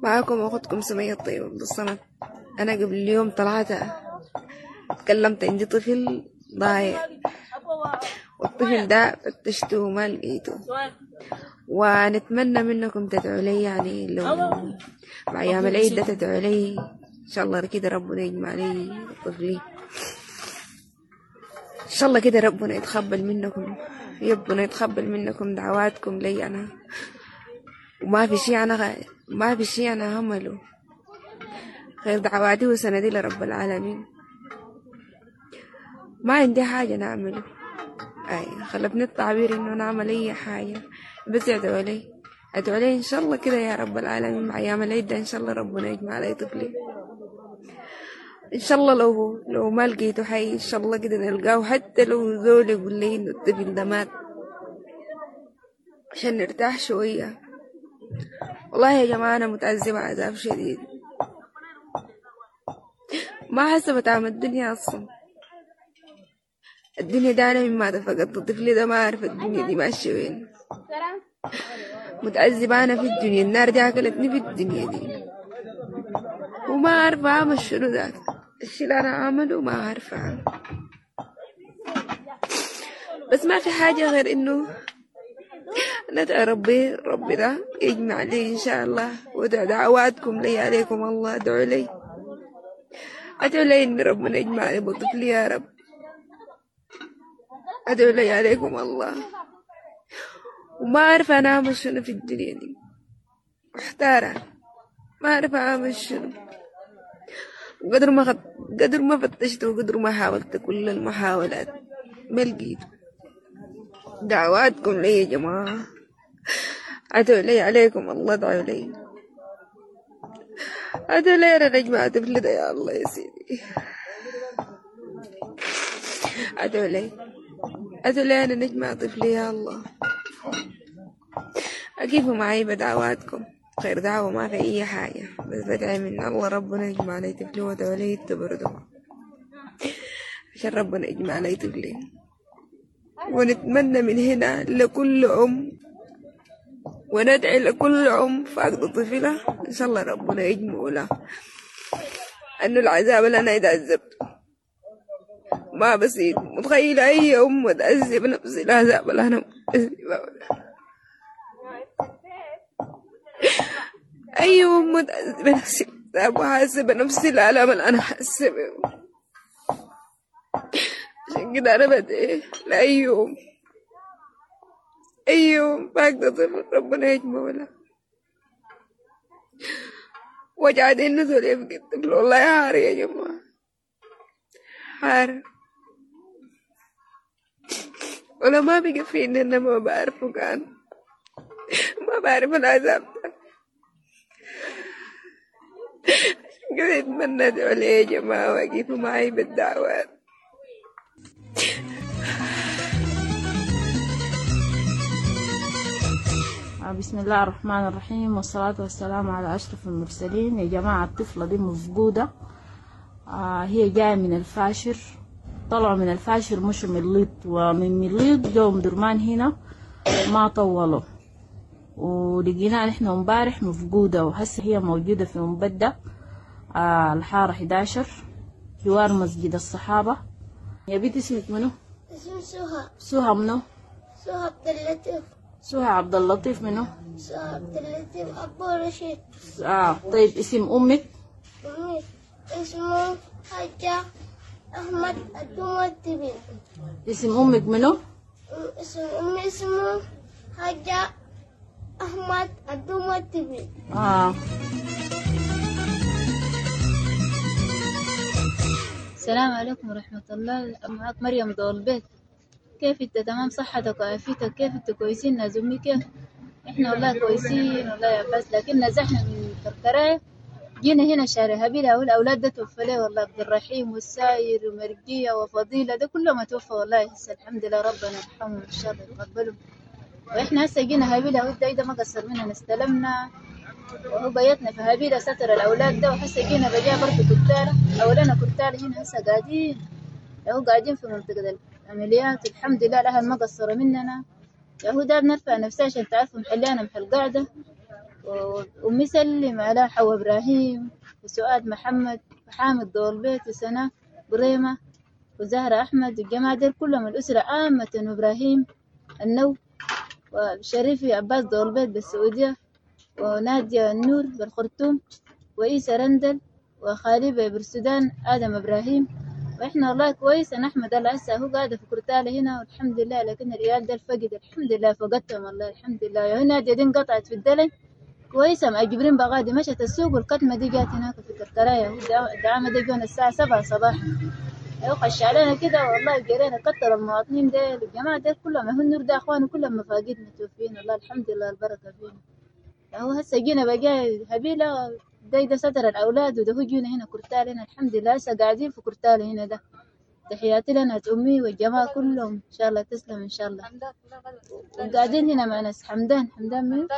معاكم أختكم سمية الطيب عبد الصمد. أنا قبل اليوم طلعت تكلمت، عندي طفل ضايع، والطفل ده فتشته وما لقيته، ونتمنى منكم تدعوا لي، يعني لو مع أيام العيد ده تدعوا لي إن شاء الله كده ربنا يجمع لي طفلي إن شاء الله كده، ربنا يتقبل منكم، ربنا يتقبل منكم دعواتكم لي أنا. وما في شيء أنا ما في شيء أنا همله، غير دعواتي وسندي لرب العالمين. ما عندي حاجة نعمله، أي خلفني التعبير إنه نعمل أي حاجة، بس ادعوا لي، ادعوا لي إن شاء الله كده يا رب العالمين مع أيام العيد ده إن شاء الله ربنا يجمع علي طفلي إن شاء الله. لو ما لقيته حي إن شاء الله كده نلقاه، حتى لو زول يقول لي إنه الطفل ده مات عشان نرتاح شوية. والله يا جماعة أنا متعذبة عذاب شديد، ما حاسة بطعم الدنيا أصلا. الدنيا ده أنا مما فقدت طفلي ده ما عارفة الدنيا دي ماشية وين. متعذبة أنا في الدنيا، النار دي أكلتني في الدنيا دي وما عارفة أعمل شنو. ذاك الشي اللي أنا أعمله ما عارفة أعمل، بس ما في حاجة غير إنه ندعي ربي، ربي ده يجمع لي إن شاء الله، وادعو دعواتكم لي عليكم الله، ادعوا لي، ادعوا لي إن ربنا يجمع لي بطفلي يا رب، ادعوا لي عليكم الله. وما عارفة أنا أعمل شنو في الدنيا دي، محتارة ما عارفة أعمل شنو. قدر ما قدر ما فتشت وقدر ما حاولت كل المحاولات ما لقيت. دعواتكم لي يا جماعة، ادعوا لي عليكم الله، ادعوا لي، ادعوا لي أنا نجمع طفلي ده يا الله يا سيدي، ادعوا لي، ادعوا لي أنا نجمع طفلي يا الله. أقفوا معي بدعواتكم، خير دعوة ما في أي حاجة، بس بدعي من الله ربنا يجمع لي طفلي، وادعوا لي انتوا برضو عشان ربنا يجمع لي طفلي. ونتمنى من هنا لكل أم، وندعي لكل أم فاقدة طفلها إن شاء الله ربنا يجمعه لها، أنه العذاب اللي أنا اتعذبته ما بسيط. متخيلة أي أم تعذب نفس العذاب اللي أنا متعذبة، أي أم تعذب نفس العذاب وحاسة بنفس الألم اللي أنا حاسة بيه. عشان كده أنا بدعي لأي أم، أي أم فاقدة طفل ربنا يجمعه لها. وجعت إنه زول يفقد طفل والله حار يا جماعة، حار. ولا ما بقى فيني أنا ما بعرفه، كان ما بعرف العذاب ده. عشان كده أتمنى أدعوا لي يا جماعة وأقفوا معي بالدعوات. بسم الله الرحمن الرحيم، والصلاة والسلام على أشرف المرسلين. يا جماعة الطفلة دي مفقودة، هي جاية من الفاشر، طلعوا من الفاشر مشوا مليط، ومن مليط جو درمان هنا ما طولوا، ولقيناها نحن امبارح مفقودة، وهسه هي موجودة في مبدة الحارة 11 جوار مسجد الصحابة. يا بنت اسمك منو؟ اسمي سهى. سهى منو؟ سهى عبد اللطيف. سهى عبد اللطيف منو؟ سهى عبد اللطيف أبو رشيد. طيب اسم أمك؟ أمي اسمه حاجة أحمد الدومتبي. اسم أمك منو؟ اسم أمي اسمه حاجة أحمد الدومتبي. السلام عليكم ورحمة الله، معك مريم دولبيت. كيف انت؟ تمام، صحتك وعافيتك؟ كيف انت؟ كويسين ناس امي؟ كيف احنا؟ والله كويسين والله يا عباس، لكن نزحنا من كركرايه جينا هنا شارع هبيلة، والأولاد ده توفى ليه والله، عبد الرحيم والساير ومرقية وفضيلة ده كلهم توفى والله. هسه الحمد لله ربنا يرحمهم إن شاء الله يتقبلهم. وإحنا هسه جينا هبيلة وده ده ما قصر مننا، استلمنا وهو بيتنا في هبيلة ستر الأولاد ده. وهسه جينا بجا برضه كرتالة، أولنا كرتالة هنا هسه قاعدين، هو قاعدين في منطقة العمليات الحمد لله الأهل ما قصروا مننا. يا ده بنرفع نفسها عشان تعرفوا محلنا محل قاعدة. وأمي سلم على حوا إبراهيم وسؤاد محمد وحامد دولبيت وسنة بريمة وزهرة أحمد والجماعة دول كلهم الأسرة عامة، وإبراهيم النو وشريفي عباس دولبيت بالسعودية ونادية النور بالخرطوم وإيسا رندل وخالي بالسودان آدم إبراهيم. وإحنا والله كويس، أنا أحمد الله هسه هو قاعدة في كرتالة هنا والحمد لله، لكن الريال ده الفقد الحمد لله فقدتهم والله الحمد لله. يا هنا دي انقطعت في الدلن كويسة مع جبرين بغادي مشت السوق والكتمة دي جات هناك في كركراية. الدعامة دي جونا الساعة 7 صباحا، أيوة خش علينا كده والله جرينا كتر المواطنين ديل الجماعة ديل كلهم، هو النور ده أخواني كلهم مفاقيد متوفين والله الحمد لله البركة فينا. هو هسه جينا بقى هبيلة ده ستر الأولاد وده هو جينا هنا كرتال هنا الحمد لله، هسه قاعدين في كرتال هنا ده. تحياتي لنا أمي والجماعة كلهم إن شاء الله تسلم إن شاء الله. وقاعدين هنا مع ناس حمدان، حمدان مين؟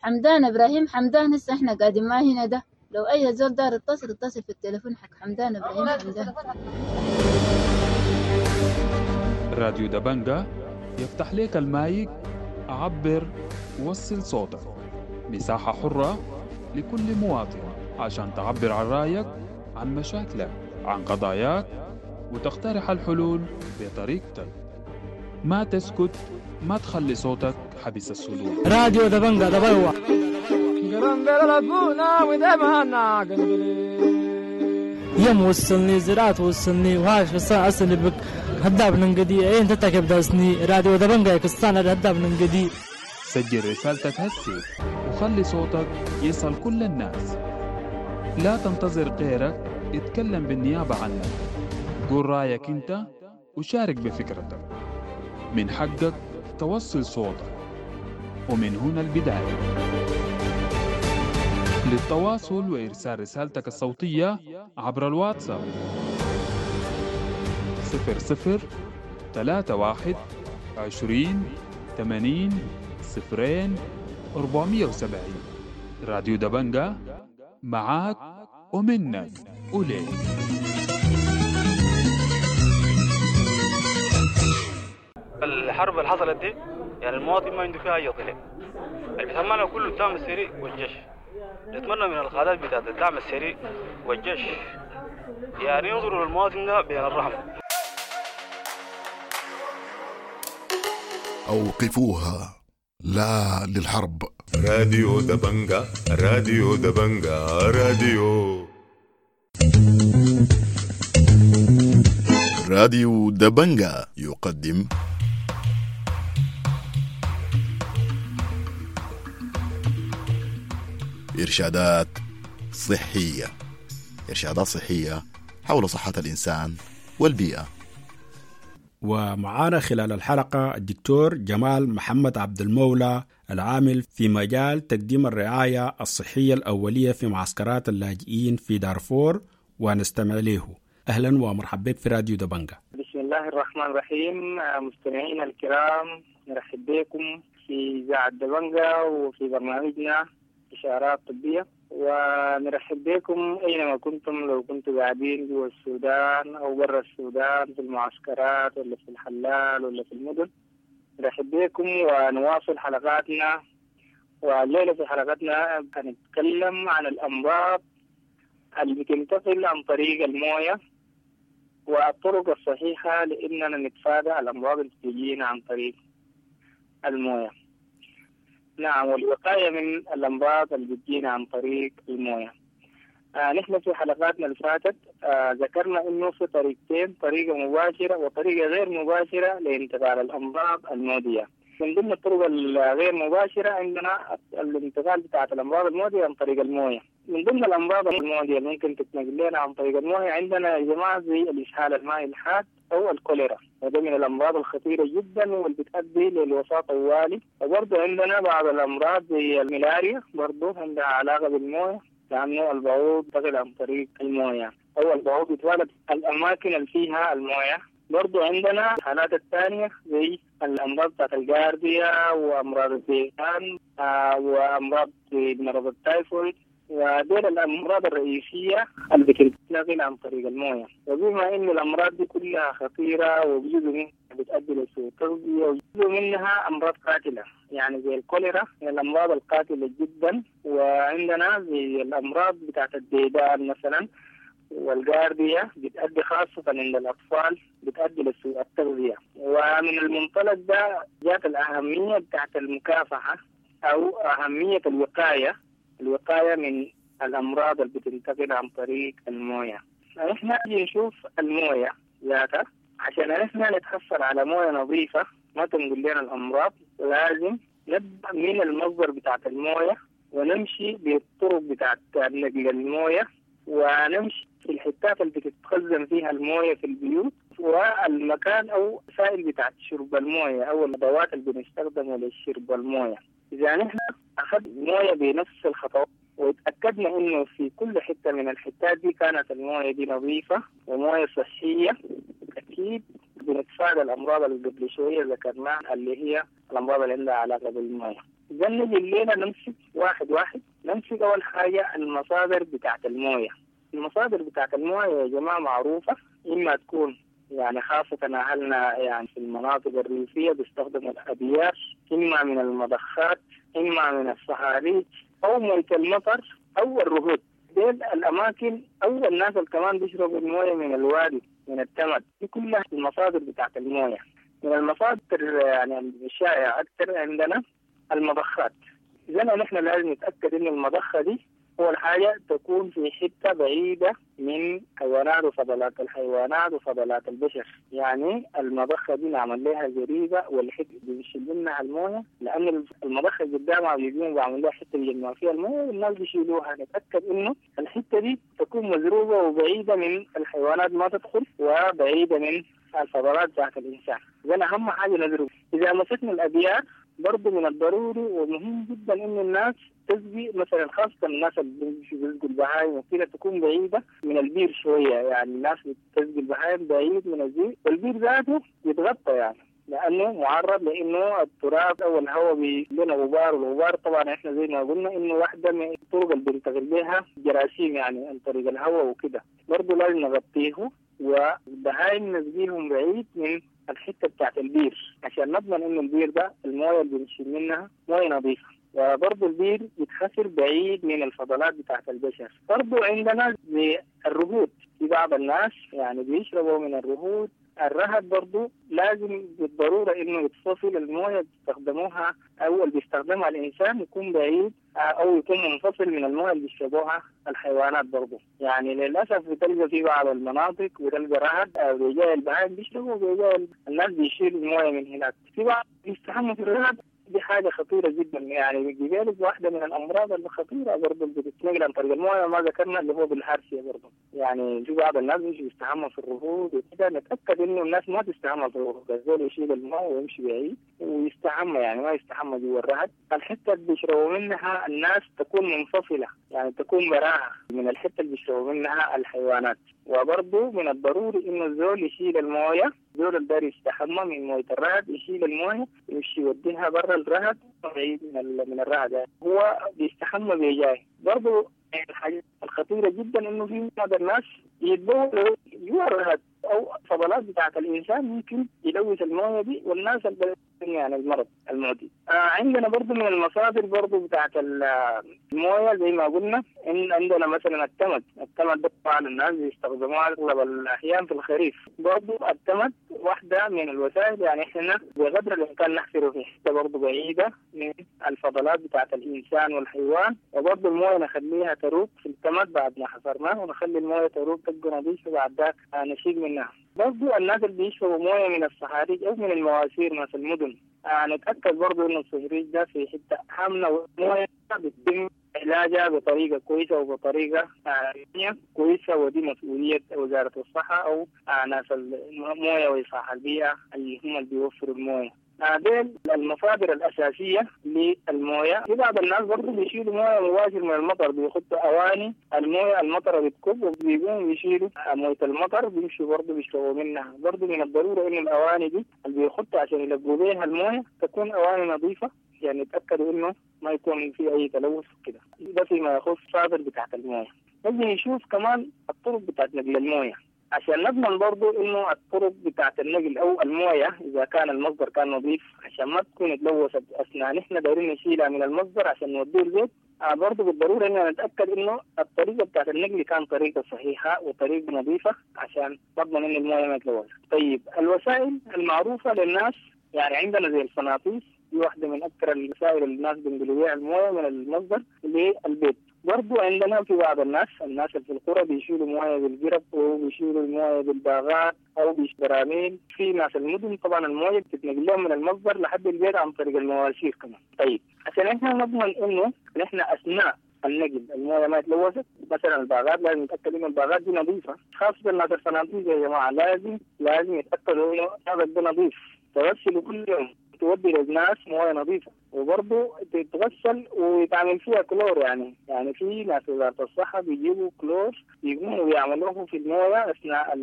حمدان إبراهيم حمدان، هسه إحنا قاعدين معاه هنا ده. لو أي زول دار اتصل اتصل في التليفون حق حمدان إبراهيم حمدان. راديو دبنجة يفتح لك المايك، عبر وصل صوتك، مساحة حرة لكل مواطن عشان تعبر عن رأيك، عن مشاكلك، عن قضاياك، وتقترح الحلول بطريقتك. ما تسكت، ما تخلي صوتك حبس الصدور. راديو دبنجة دبلوة. يوم وصلني زراعة وصلني وهاش بس أصلي بك هداب ننقدي أين تتكب داسني راديو دبنجة كستانا هداب ننقدي. سجل رسالتك هسي وخلي صوتك يصل كل الناس. لا تنتظر غيرك يتكلم بالنيابة عنك. قول رأيك انت وشارك بفكرتك. من حقك توصل صوتك، ومن هنا البداية. للتواصل وإرسال رسالتك الصوتية عبر الواتساب 00 31 20 80 0 470. راديو دبنجة معاك ومنك وليك. الحرب اللي حصلت دي يعني المواطن ما عنده فيها أي طلع، اللي بيتحملها كله الدعم السري والجيش. نتمنى من القادات بتاعت الدعم السري والجيش يعني ينظروا للمواطن ده بين الرحمة. أوقفوها، لا للحرب. راديو دبنجة، راديو دبنجة، راديو راديو دبنجة يقدم إرشادات صحية. إرشادات صحية حول صحة الإنسان والبيئة. ومعانا خلال الحلقة الدكتور جمال محمد عبد المولى، العامل في مجال تقديم الرعاية الصحية الأولية في معسكرات اللاجئين في دارفور، ونستمع له. أهلا ومرحبا بك في راديو دبنجة. بسم الله الرحمن الرحيم. مستمعينا الكرام، نرحب بكم في إذاعة دبنجة وفي برنامجنا إشارات طبية، ونرحب بكم أينما كنتم، لو كنتم قاعدين جوا السودان أو برا السودان، في المعسكرات ولا في الحلال ولا في المدن. نرحب بكم ونواصل حلقاتنا. والليلة في حلقتنا هنتكلم عن الأمراض اللي بتنتقل عن طريق الموية والطرق الصحيحة لأننا نتفادى الأمراض اللي بتجينا عن طريق الموية. نعم، والوقاية من الأمراض اللي بتجينا عن طريق الموية. نحن في حلقاتنا اللي فاتت ذكرنا إنه في طريقتين، طريقة مباشرة وطريقة غير مباشرة لانتقال الأمراض المعدية. من ضمن الطرق الغير مباشرة عندنا الانتقال بتاعة الأمراض المعدية عن طريق الموية. من ضمن الأمراض المعدية اللي ممكن تتنقل لنا عن طريق الموية عندنا يا جماعة زي الإسهال المائي الحاد أو الكوليرا، وده من الأمراض الخطيرة جدا واللي بتؤدي للوفاة طوالي. وبرضه عندنا بعض الأمراض زي الملاريا، برضه عندها علاقة بالموية، لأنه البعوض ينتقل عن طريق الموية أو البعوض يتولد الأماكن اللي فيها الموية. برضو عندنا الحالات الثانية زي الأمراض بتاعت الجارديا وأمراض الديدان وأمراض مرض التايفويد، ودول الأمراض الرئيسية اللي بتنتقل عن طريق الموية. وبما إن الأمراض دي كلها خطيرة وجزء منها بتؤدي لسوء التغذية وجزء منها أمراض قاتلة، يعني زي الكوليرا من الأمراض القاتلة جدا، وعندنا زي الأمراض بتاعت الديدان مثلا والجارديا بتأدي خاصة عند الأطفال بتأدي لسوء التغذية. ومن المنطلق ده جاءت الأهمية بتاعت المكافحة أو أهمية الوقاية، الوقاية من الأمراض اللي بتنتقل عن طريق الموية. نحن نشوف الموية ذاتها عشان نحن نتحصل على موية نظيفة ما تنقل لنا الأمراض، لازم نبدأ من المصدر بتاعت الموية ونمشي بالطرق بتاعت نقل الموية، ونمشي في الحتات اللي بتتخزن فيها الموية في البيوت، والمكان أو وسائل بتاعت شرب الموية أو الأدوات اللي بنستخدمها لشرب الموية. إذا نحن أخذنا الموية بنفس الخطوات وتأكدنا إنه في كل حتة من الحتات دي كانت الموية دي نظيفة وموية صحية، أكيد بنتفادى الأمراض اللي قبل شوية ذكرناها اللي هي الأمراض اللي عندها علاقة بالموية. إذا نجي الليلة نمسك واحد واحد. نمسك أول حاجة المصادر بتاعت الموية. المصادر بتاعت الموية يا جماعة معروفة، إما تكون يعني خاصة أهلنا يعني في المناطق الريفية بيستخدموا الأبيار، إما من المضخات، إما من الصهاريج، أو موية المطر، أو الرهود. ديل الأماكن أو الناس اللي كمان بيشربوا الموية من الوادي من التمد. دي كلها المصادر بتاعت الموية. من المصادر يعني الشائعة أكثر عندنا المضخات. إذا نحن لازم نتأكد إن المضخة دي أول حاجة تكون في حتة بعيدة من حيوانات وفضلات الحيوانات وفضلات البشر. يعني المضخة دي نعمل لها زريبة والحتة بنشيل منها الموية، لأن المضخة قدامها بيجون بيعمل لها حتة بيجمعوا فيها الموية والناس بيشيلوها. نتأكد إنه الحتة دي تكون مزروبة وبعيدة من الحيوانات ما تدخل، وبعيدة من الفضلات بتاعت الإنسان. إذا أهم حاجة نزرب. إذا مسكنا الأبيار برضه من الضروري ومهم جدا إنه الناس تسقي مثلا، خاصة الناس اللي بيسقوا البهايم وكده تكون بعيدة من البير شوية. يعني الناس بتسقي البهايم بعيد من البير، والبير ذاته يتغطى يعني لأنه معرض لأنه التراب أو الهواء بيلنا غبار، والغبار طبعا إحنا زي ما قلنا إنه واحدة من الطرق اللي بننتقل بها جراثيم يعني عن طريق الهواء وكده. برضه لازم نغطيه، والبهايم نسقيهم بعيد من الحتة بتاعت البير عشان نضمن إنه البير ده الموية اللي بنشيل منها موية نظيفة. وبرضه البير يتحفر بعيد من الفضلات بتاعت البشر. برضه عندنا الرهود، في بعض الناس يعني بيشربوا من الرهود. الرهد برضه لازم بالضرورة إنه يتفصل الموية بيستخدموها أو اللي بيستخدمها الإنسان يكون بعيد أو يكون منفصل من الموية اللي بيشربوها الحيوانات برضه. يعني للأسف بتلقى في بعض المناطق بتلقى رهد أو بيجاي البهائم بيشربوا وبيجاي الناس بيشيلوا الموية من هناك. في بعض بيستحموا في الرهد، دي حاجة خطيرة جدا. يعني بيجيلك واحدة من الأمراض الخطيرة برضه اللي بتتنقل عن طريق الموية ما ذكرنا اللي هو بالهارسية برضه. يعني في بعض الناس بيمشي بيستحموا في الرهود وكده. نتأكد إنه الناس ما تستحمى في الرهود، الزول يشيل الماء ويمشي بعيد ويستحمى، يعني ما يستحمى جوا الرهد. الحتة اللي بيشربوا منها الناس تكون منفصلة، يعني تكون براها من الحتة اللي بيشربوا منها الحيوانات. وبرضه من الضروري إنه الزول يشيل الموية، الزول اللي داير يستحمى من موية الرهد يشيل الموية يمشي يوديها برا الرهد بعيد من الرهد، يعني هو بيستحمى بيجاي. برضه الحاجة الخطيرة جدا إنه في بعض الناس يتبولوا جوا الرهد أو فضلات بتاعة الإنسان ممكن يلوث الموية دي والناس اللي يعني المرض المعدي. عندنا برضو من المصادر برضو بتاعة الموية زي ما قلنا إن عندنا مثلا التمد. التمد ده طبعا الناس بيستخدموها أغلب الأحيان في الخريف. برضو التمد واحدة من الوسائل، يعني إحنا بقدر الإمكان نحفره في حتة برضو بعيدة من الفضلات بتاعة الإنسان والحيوان، وبرضو الموية نخليها تروق في التمد بعد ما حفرناه، ونخلي الموية تروق تبقى نظيفة بعد ذاك نشيل منها. برضو الناس اللي بيشربوا موية من الصهاريج أو من المواسير ناس المدن، نتأكد برضو إنه الصهريج ده في حتة آمنة والموية بيتم علاجها بطريقة كويسة وبطريقة كويسة، ودي مسؤولية وزارة الصحة أو ناس الموية وإصلاح البيئة اللي هم اللي بيوفروا الموية. ديل المصادر الأساسية للموية. في بعض الناس برضو بيشيلوا موية مباشر من المطر، بيحطوا أواني الموية المطر بتكب وبيقوموا بيشيلوا موية المطر بيمشوا برضو بيشربوا منها. برضو من الضرورة إنه الأواني دي اللي بيحطوا عشان يلقوا بيها الموية تكون أواني نظيفة، يعني يتأكدوا إنه ما يكون في أي تلوث كده. ده فيما يخص المصادر بتاعت الموية. نجي نشوف كمان الطرق بتاعت نقل الموية عشان نضمن برضو إنه الطرق بتاعت النقل أو الموية إذا كان المصدر كان نظيف عشان ما تكون تلوثت أثناء نحن دايرين نشيلها من المصدر عشان نوديه البيت. برضو بالضرورة إننا نتأكد إنه الطريقة بتاعت النقل كان طريقة صحيحة وطريقة نظيفة عشان نضمن إنه الموية ما تلوث. طيب الوسائل المعروفة للناس، يعني عندنا زي الفناطيس، دي واحدة من أكثر الوسائل اللي الناس بينقلوا بيها الموية من المصدر للبيت. برضو عندنا في بعض الناس اللي في القرى بيشيلوا مويه بالجرب وبيشيلوا المويه بالباغات او بالبراميل. في ناس المدن طبعا المويه بتتنقل لهم من المصدر لحد البيت عن طريق المواسير كمان. طيب عشان احنا نضمن انه نحن اثناء النقل المويه ما يتلوثت، مثلا الباغات لازم نتاكد انه الباغات دي نظيفه، خاصه الناس الفنادق يا جماعه لازم يتاكدوا انه هذا ده نظيف، تغسلوا كل يوم، تودي للناس مويه نظيفه، وبرضه تتغسل ويتعمل فيها كلور. يعني في ناس وزاره الصحه بيجيبوا كلور يقوموا ويعملوه في المويه اثناء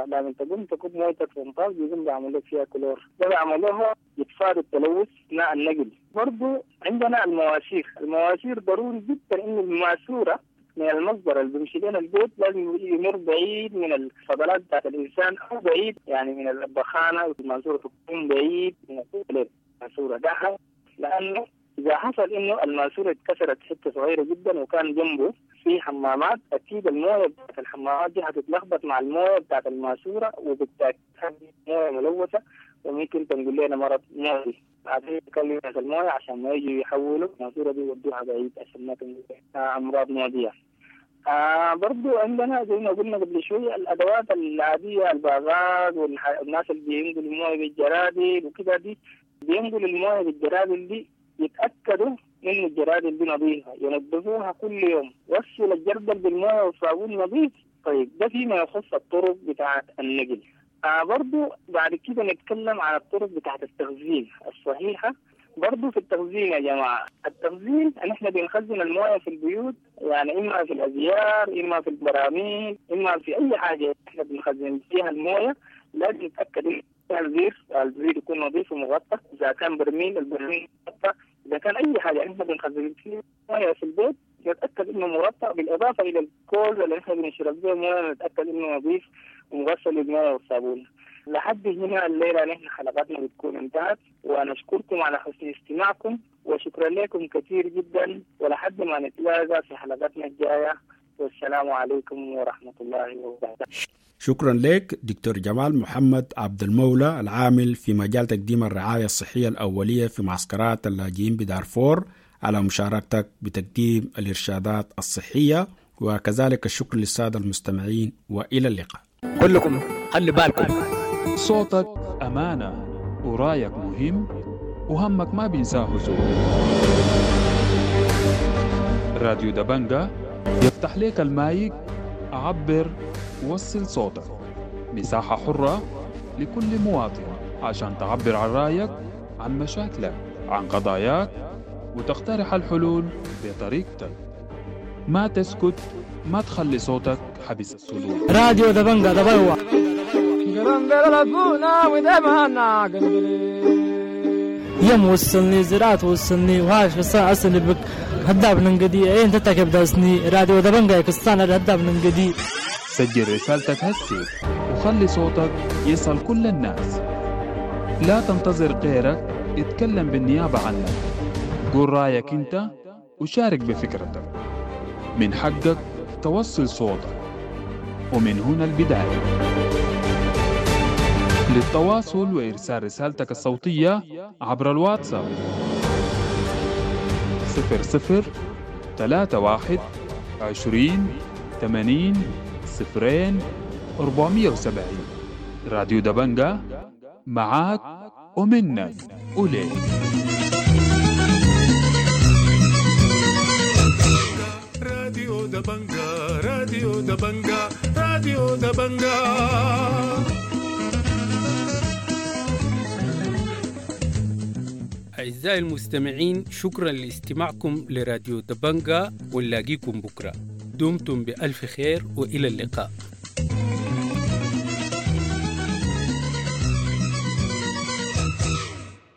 لما تقوم تكب مويتك في النطاق بيقوم بيعملوا لك فيها كلور، ده بيعملوها يتفادوا التلوث اثناء النقل. برضه عندنا المواسير ضروري جدا انه الماسوره من المصدر اللي بيمشي لنا البيت لازم يمر بعيد من الفضلات بتاعت الانسان او بعيد يعني من البخانه، الماسوره تكون بعيد من الماسوره ده، لانه اذا حصل انه الماسوره اتكسرت حته صغيره جدا وكان جنبه في حمامات، اكيد المويه بتاعت الحمامات دي هتتلخبط مع المويه بتاعت الماسوره، وبالتالي مويه ملوثه وممكن تنقل لنا مرض معدي. بعدين نكلم ناس المويه عشان ما يجوا يحولوا الماسوره دي يودوها بعيد عشان ما تنقل امراض معديه. برضو عندنا زي ما قلنا قبل شوية الأدوات العادية، الباغات والناس اللي بينقلوا الموية بالجرادل وكده، دي بينقلوا الموية بالجرادل دي يتأكدوا إنه الجرادل دي نظيفة، ينظفوها كل يوم، غسل الجردل بالموية والصابون نظيف. طيب ده فيما يخص الطرق بتاعة النقل. برضو بعد كده نتكلم عن الطرق بتاعة التخزين الصحيحة. برضو في التخزين يا جماعة، التخزين نحن بنخزن الموية في البيوت، يعني إما في الأزيار، إما في البراميل، إما في أي حاجة نحن بنخزن فيها الموية. لازم نتأكد إن الزير يكون نظيف ومغطى، إذا كان برميل البرميل مغطى، إذا كان أي حاجة نحن بنخزن فيها موية في البيت نتأكد إنه مغطى، بالإضافة إلى الكوز اللي نحن بنشرب به موية نتأكد إنه نظيف ومغسل بالموية والصابون. لحد هنا الليلة نحن حلقتنا بتكون انتهت، ونشكركم على حسن استماعكم وشكرا لكم كثير جدا، ولحد ما نتلاقى في حلقتنا الجاية، والسلام عليكم ورحمة الله وبركاته. شكرا لك دكتور جمال محمد عبد المولى العامل في مجال تقديم الرعاية الصحية الأولية في معسكرات اللاجئين بدارفور على مشاركتك بتقديم الإرشادات الصحية، وكذلك الشكر للسادة المستمعين، وإلى اللقاء. كلكم خلي بالكم، صوتك أمانة ورايك مهم وهمك ما بينساه زول. راديو دبنجة يفتح لك المايك، عبر، وصل صوتك، مساحة حرة لكل مواطن عشان تعبر عن رأيك، عن مشاكلك، عن قضاياك، وتقترح الحلول بطريقتك. ما تسكت، ما تخلي صوتك حبس الصدور. راديو دبنجة دبوة. يم وصلني زراعة وصلني وهاش بس أصلي بك هداب ننقدي إيه أنت تكب داسني راديو دبنجة كستان هداب ننقدي. سجل رسالتك هسي وخلي صوتك يصل كل الناس. لا تنتظر غيرك يتكلم بالنيابة عنك. قول رأيك أنت وشارك بفكرتك. من حقك توصل صوتك، ومن هنا البداية. للتواصل وإرسال رسالتك الصوتية عبر الواتساب 00 31 20 80 0 470. راديو دبنجة معاك ومنك وليك. راديو دبنجة، راديو دبنجة، راديو دبنجة. أعزائي المستمعين، شكرا لاستماعكم لراديو دبنجة، ونلاقيكم بكرة. دمتم بألف خير وإلى اللقاء.